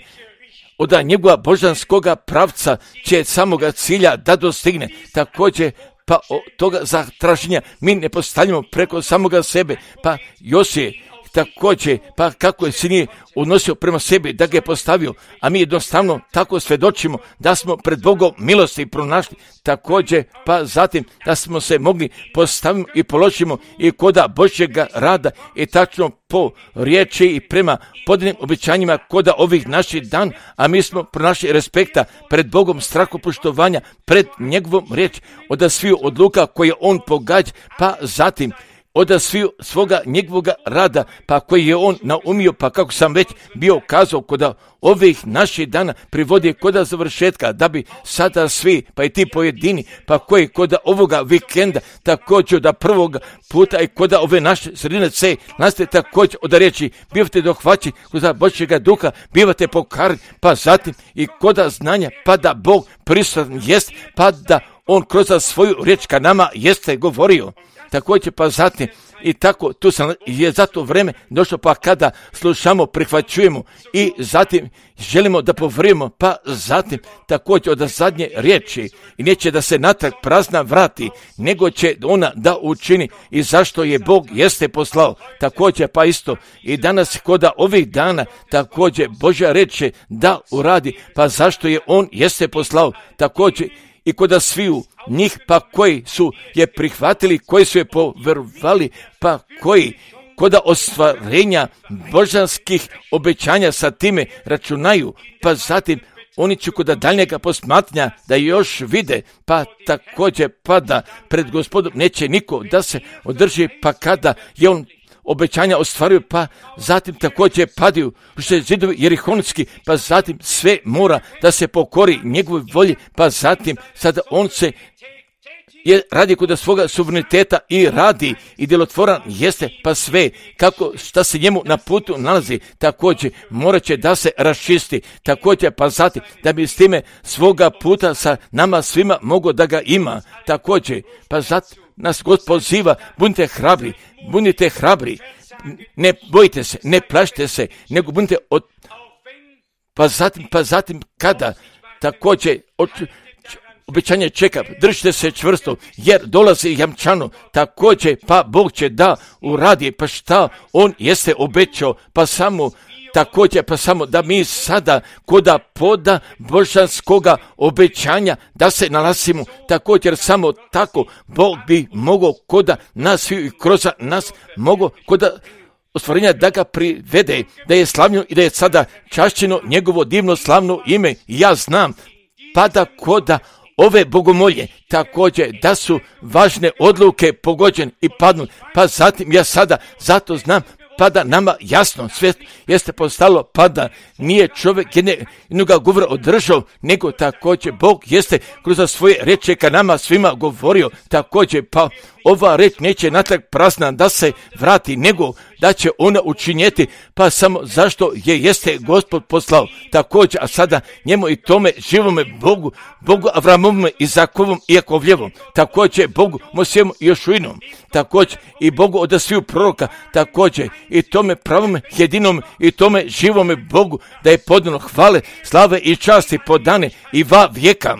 od njegova božanskoga pravca će samoga cilja da dostigne. Također, pa od toga zatraženja mi ne postavljamo preko samoga sebe, pa Josije također, pa kako je sin je odnosio prema sebi, da ga je postavio, a mi jednostavno tako svjedočimo da smo pred Bogom milosti pronašli. Također, pa zatim da smo se mogli postaviti i položimo i koda Božjega rada i tačno po riječi i prema podijeljenim obećanjima koda ovih naših dan, a mi smo pronašli respekta pred Bogom, strahopoštovanja pred njegovom riječi, od sviju odluka koje on pogađa, pa zatim od sviju svoga njegovoga rada, pa koji je on naumio, pa kako sam već bio kazao, koda ovih naših dana privodi koda završetka, da bi sada svi, pa i ti pojedini, pa koji koda ovoga vikenda, također da prvog puta i koda ove naše sredine C, naste također od riječi, bivate dohvaći koda Božjega duha, bivate pokarni, pa zatim i koda znanja, pa da Bog prisutan jest, pa da on kroz svoju riječ ka nama jeste govorio. Također, pa zatim i tako tu sam, je zato vreme došlo, pa kada slušamo, prihvaćujemo i zatim želimo da povrimo, pa zatim također od zadnje riječi i neće da se natrag prazna vrati, nego će ona da učini i zašto je Bog jeste poslao. Također, pa isto i danas koda ovih dana također Božja reče da uradi, pa zašto je on jeste poslao. Također i koda sviju njih, pa koji su je prihvatili, koji su je poverovali, pa koji koda ostvarenja božanskih obećanja sa time računaju, pa zatim oni će koda daljnjega posmatranja da još vide, pa također pa da pred Gospodom neće niko da se održi, pa kada je on obećanja ostvaruju, pa zatim također padaju što zidovi jerihonski, pa zatim sve mora da se pokori njegovoj volji, pa zatim sada on se je radi kod svoga suvereniteta i radi i djelotvoran jeste, pa sve kako šta se njemu na putu nalazi, također morat će da se raščisti, također pa zatim da bi s time svoga puta sa nama svima mogo da ga ima, također pa zatim nas Gospod poziva, budite hrabri, budite hrabri, ne bojite se, ne plašite se, nego budite od... Pa zatim, pa zatim kada također od... obećanje čeka, držite se čvrsto, jer dolazi jamčano, također pa Bog će da uradi, pa šta on jeste obećao, pa samo također pa samo da mi sada koda poda božanskoga obećanja da se nalazimo, također samo tako Bog bi mogao koda nas i kroz nas mogao koda ostvarenja da ga privede, da je slavljeno i da je sada čašćeno njegovo divno slavno ime. Ja znam pa da koda ove bogomolje također da su važne odluke pogođene i padnu, pa zatim ja sada zato znam pa da nama jasno sve jeste postalo, pa da nije čovjek jednoga govora održao, nego također Bog jeste kroz svoje reče ka nama svima govorio, također pa ova reč neće natrag prazna da se vrati, nego da će ona učinjeti, pa samo zašto je jeste Gospod poslao, također, a sada njemu i tome živome Bogu, Bogu Avramovom, Izakovom i Jakovljevom, također Bogu Mosijevom i Jošuinom, također i Bogu od sviju proroka, također i tome pravom jedinom i tome živome Bogu da je podano hvale, slave i časti podane i va vijeka.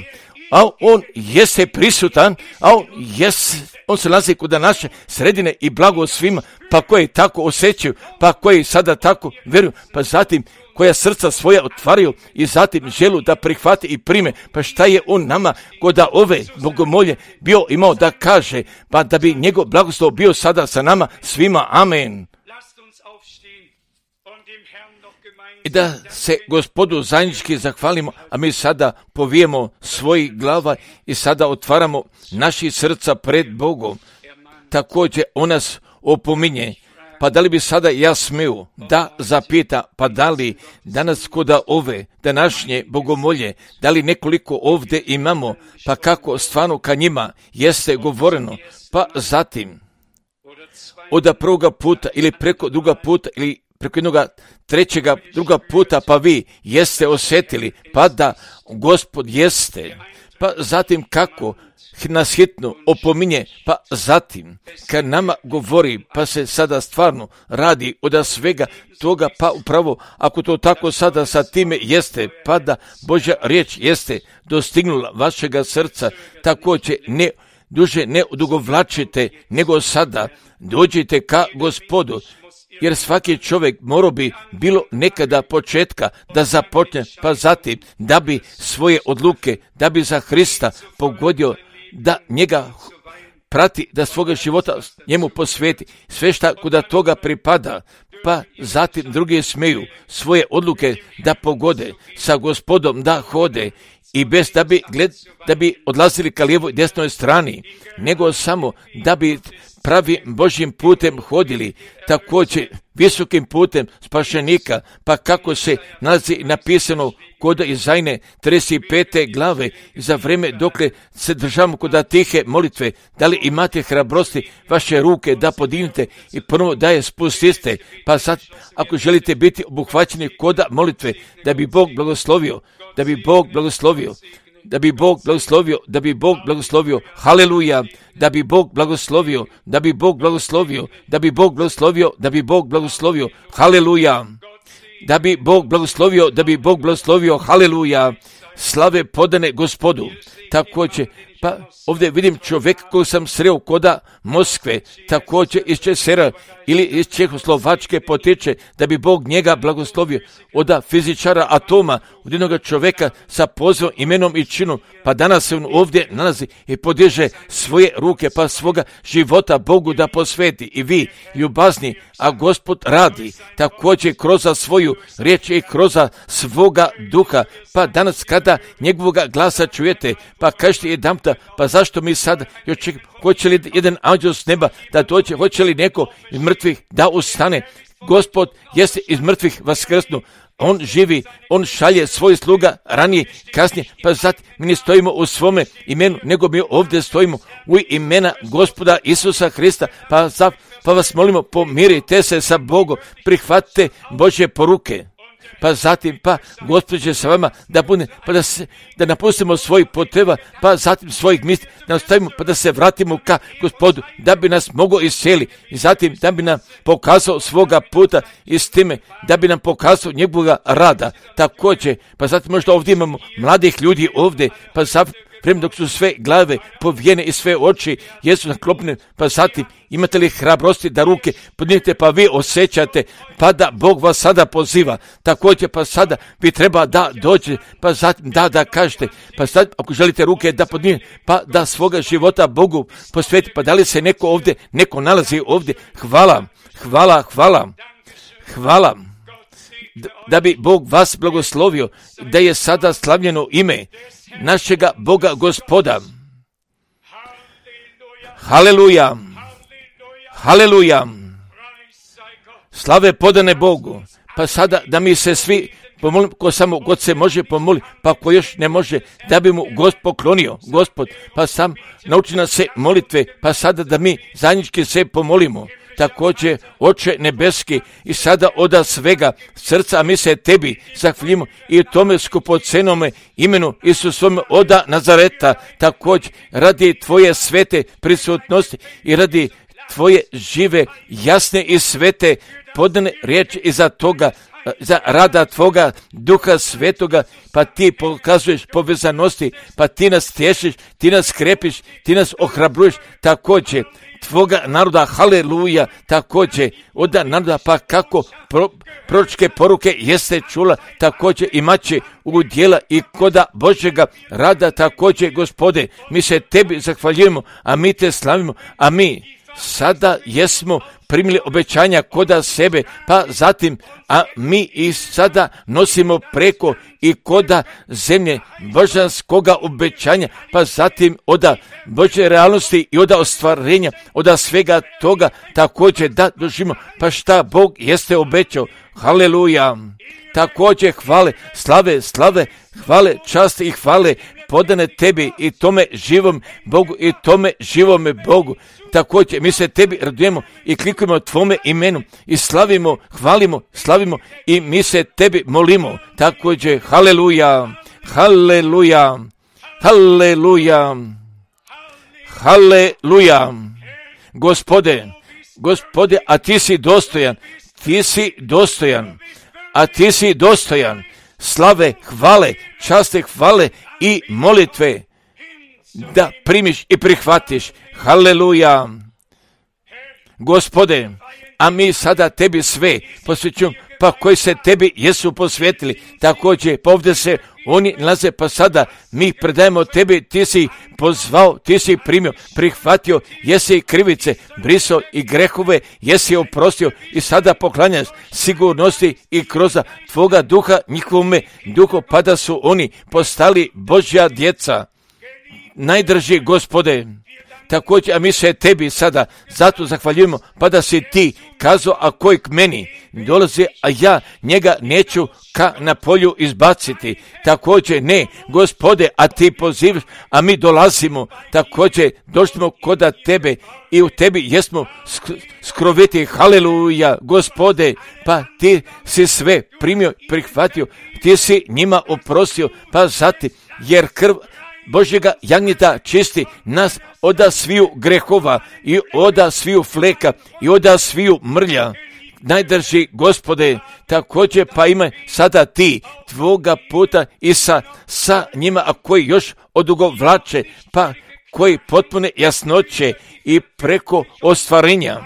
A on jeste prisutan, a on jeste, on se nalazi kod naše sredine i blago svima, pa koji tako osjećaju, pa koji sada tako vjeruju, pa zatim koja srca svoja otvaraju i zatim želu da prihvati i prime, pa šta je on nama kod ove bogomolje bio imao da kaže, pa da bi njegov blagoslov bio sada sa nama svima, amen. I da se Gospodu zajednički zahvalimo, a mi sada povijemo svojih glava i sada otvaramo naši srca pred Bogom. Također on nas opominje, pa da li bi sada ja smio da zapita, pa da li danas koda ove današnje bogomolje, da li nekoliko ovdje imamo, pa kako stvarno ka njima jeste govoreno, pa zatim od prvoga puta ili preko druga puta ili preko jednoga trećega druga puta, pa vi jeste osjetili, pa da Gospod jeste, pa zatim kako nas hitno opominje, pa zatim kad nama govori, pa se sada stvarno radi od svega toga, pa upravo ako to tako sada sa time jeste, pa da Božja riječ jeste dostignula vašega srca, također ne duže ne odugovlačite, nego sada dođite ka Gospodu, jer svaki čovjek morao bi bilo nekada početka da započne, pa zatim da bi svoje odluke, da bi za Hrista pogodio, da njega prati, da svoga života njemu posveti, sve šta kuda toga pripada, pa zatim drugi smeju svoje odluke da pogode, sa Gospodom da hode i bez da bi, gled, da bi odlazili ka lijevoj desnoj strani, nego samo da bi pravim Božjim putem hodili, također visokim putem spašenika, pa kako se nalazi napisano kod Izajne trideset pete glave, za vrijeme dokle se državamo kod tihe molitve, da li imate hrabrosti vaše ruke da podignete i prvo da je spustiste, pa sad ako želite biti obuhvaćeni kod molitve, da bi Bog blagoslovio, da bi Bog blagoslovio, da bi Bog blagoslovio, da bi Bog blagoslovio, haleluja, da bi Bog blagoslovio, da bi Bog blagoslovio, da bi Bog blagoslovio, da bi Bog blagoslovio, haleluja, da bi Bog blagoslovio, da bi Bog blagoslovio, haleluja, slave podane Gospodu. Također, pa ovdje vidim čovjek koji sam sreo koda Moskve, također iz Česera ili iz Čehoslovačke potiče, da bi Bog njega blagoslovio, od fizičara atoma, od jednog čovjeka sa pozivom, imenom i činom, pa danas se on ovdje nalazi i podiže svoje ruke, pa svoga života Bogu da posveti. I vi, ljubazni, a Gospod radi, također kroz svoju riječ i kroz svoga duha, pa danas kada njegovoga glasa čujete, pa kažete jedanputa, pa zašto mi sad još čekamo, hoće li jedan anđel s neba da dođe, hoće li neko iz mrtvih da ustane? Gospod jeste iz mrtvih vaskrsnu, on živi, on šalje svoj sluga ranije, kasnije, pa zato mi ne stojimo u svome imenu, nego mi ovdje stojimo u imena Gospoda Isusa Hrista, pa, za, pa vas molimo, pomirite se sa Bogom, prihvatite Božje poruke. Pa zatim, pa Gospod će sa vama da bude, pa da, se, da napustimo svoj potreba, pa zatim svojih misli, da nastavimo, pa da se vratimo ka Gospodu, da bi nas mogao iscijeli i zatim da bi nam pokazao svoga puta i s time, da bi nam pokazao njegovoga rada. Također, pa zatim možda ovdje imamo mladih ljudi ovdje, pa zatim, vreme dok su sve glave povijene i sve oči jesu naklopne, pa zatim imate li hrabrosti da ruke podignete, pa vi osjećate, pa da Bog vas sada poziva, također pa sada vi treba da dođe, pa zatim da da kažete, pa sad ako želite ruke da podignete, pa da svoga života Bogu posveti, pa da li se neko ovdje, neko nalazi ovdje, hvala, hvala, hvala, hvala, da bi Bog vas blagoslovio, da je sada slavljeno ime našega Boga Gospoda. Haleluja, haleluja, slave podane Bogu. Pa sada da mi se svi pomolim, ko samo God se može pomoli, pa ko još ne može, da bi mu Gospod poklonio, Gospod, pa sam nauči nas se molitve, pa sada da mi zajednički se pomolimo. Također, Oče nebeski, i sada oda svega srca mi se tebi zahvaljujemo i tome skupocenome imenu Isusovome oda Nazareta, također radi tvoje svete prisutnosti i radi tvoje žive, jasne i svete podane riječi iza toga, za rada tvoga Duha Svetoga, pa ti pokazuješ povezanosti, pa ti nas tješiš, ti nas krepiš, ti nas ohrabruješ, također tvoga naroda, haleluja, također od naroda, pa kako pro, proročke poruke jeste čula, također imat će u djela i koda Božjega rada, također Gospode, mi se tebi zahvaljujemo, a mi te slavimo, a mi sada jesmo primili obećanja koda sebe, pa zatim, a mi i sada nosimo preko i koda zemlje božanskoga obećanja, pa zatim oda Božje realnosti i oda ostvarenja, oda svega toga također da doživimo, pa šta Bog jeste obećao, haleluja, također hvale, slave, slave, hvale, časti i hvale podane tebi i tome živom Bogu i tome živome Bogu. Također mi se tebi radujemo i klikujemo tvome imenu i slavimo, hvalimo, slavimo i mi se tebi molimo. Također, haleluja, haleluja, Haleluja, haleluja. Gospode, Gospode, a ti si dostojan, ti si dostojan, a ti si dostojan slave, hvale, časte, hvale i molitve da primiš i prihvatiš. Haleluja. Gospode, a mi sada tebi sve posvećujemo, pa koji se tebi jesu posvetili, također pa ovdje se oni nalaze, pa sada mi predajemo tebi, ti si pozvao, ti si primio, prihvatio, jesi krivice, brisao i grehove, jesi oprostio i sada poklanjaš sigurnosti i kroz tvoga duha, njihovome duhu, pa da su oni postali Božja djeca. Najdrži Gospode, također, a mi se tebi sada zato zahvaljujemo, pa da si ti kazao, a koji k meni dolazi, a ja njega neću ka na polju izbaciti. Također, ne, Gospode, a ti pozivaš, a mi dolazimo, također, došli kod tebe i u tebi jesmo skroviti. Haleluja, Gospode, pa ti si sve primio, prihvatio, ti si njima oprostio, pa zatim, jer krv Božjega jagnjeta čisti nas oda sviju grehova i oda sviju fleka i oda sviju mrlja. Najdrži Gospode, također pa ima sada ti tvoga puta i sa, sa njima, a koji još odugovlače, pa koji potpune jasnoće i preko ostvarenja,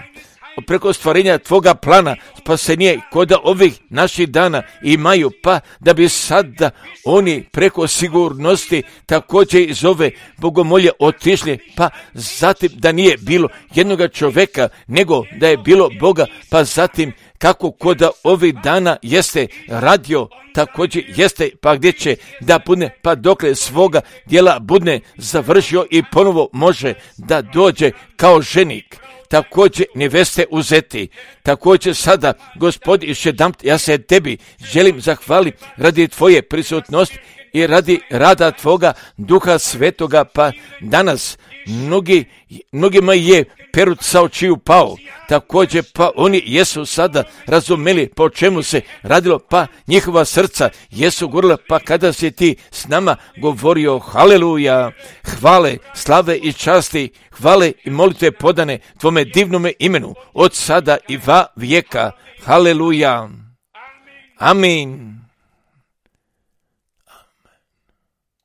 preko ostvarenja tvoga plana spasenje kod ovih naših dana imaju, pa da bi sada oni preko sigurnosti također iz ove bogomolje otišli, pa zatim da nije bilo jednoga čovjeka, nego da je bilo Boga, pa zatim kako kod ovih dana jeste radio, također jeste, pa gdje će da budne, pa dokle svoga djela budne završio i ponovo može da dođe kao ženik, također neveste uzeti. Također sada, Gospodi, još jednom ja se tebi želim zahvaliti radi tvoje prisutnosti i radi rada tvoga Duha Svetoga, pa danas mnogi, mnogima je perut sa očiju pao, također pa oni jesu sada razumeli po čemu se radilo, pa njihova srca jesu gorila, pa kada si ti s nama govorio. Haleluja, hvale, slave i časti, hvale i molitve podane tvome divnome imenu od sada i va vijeka. Haleluja, amin.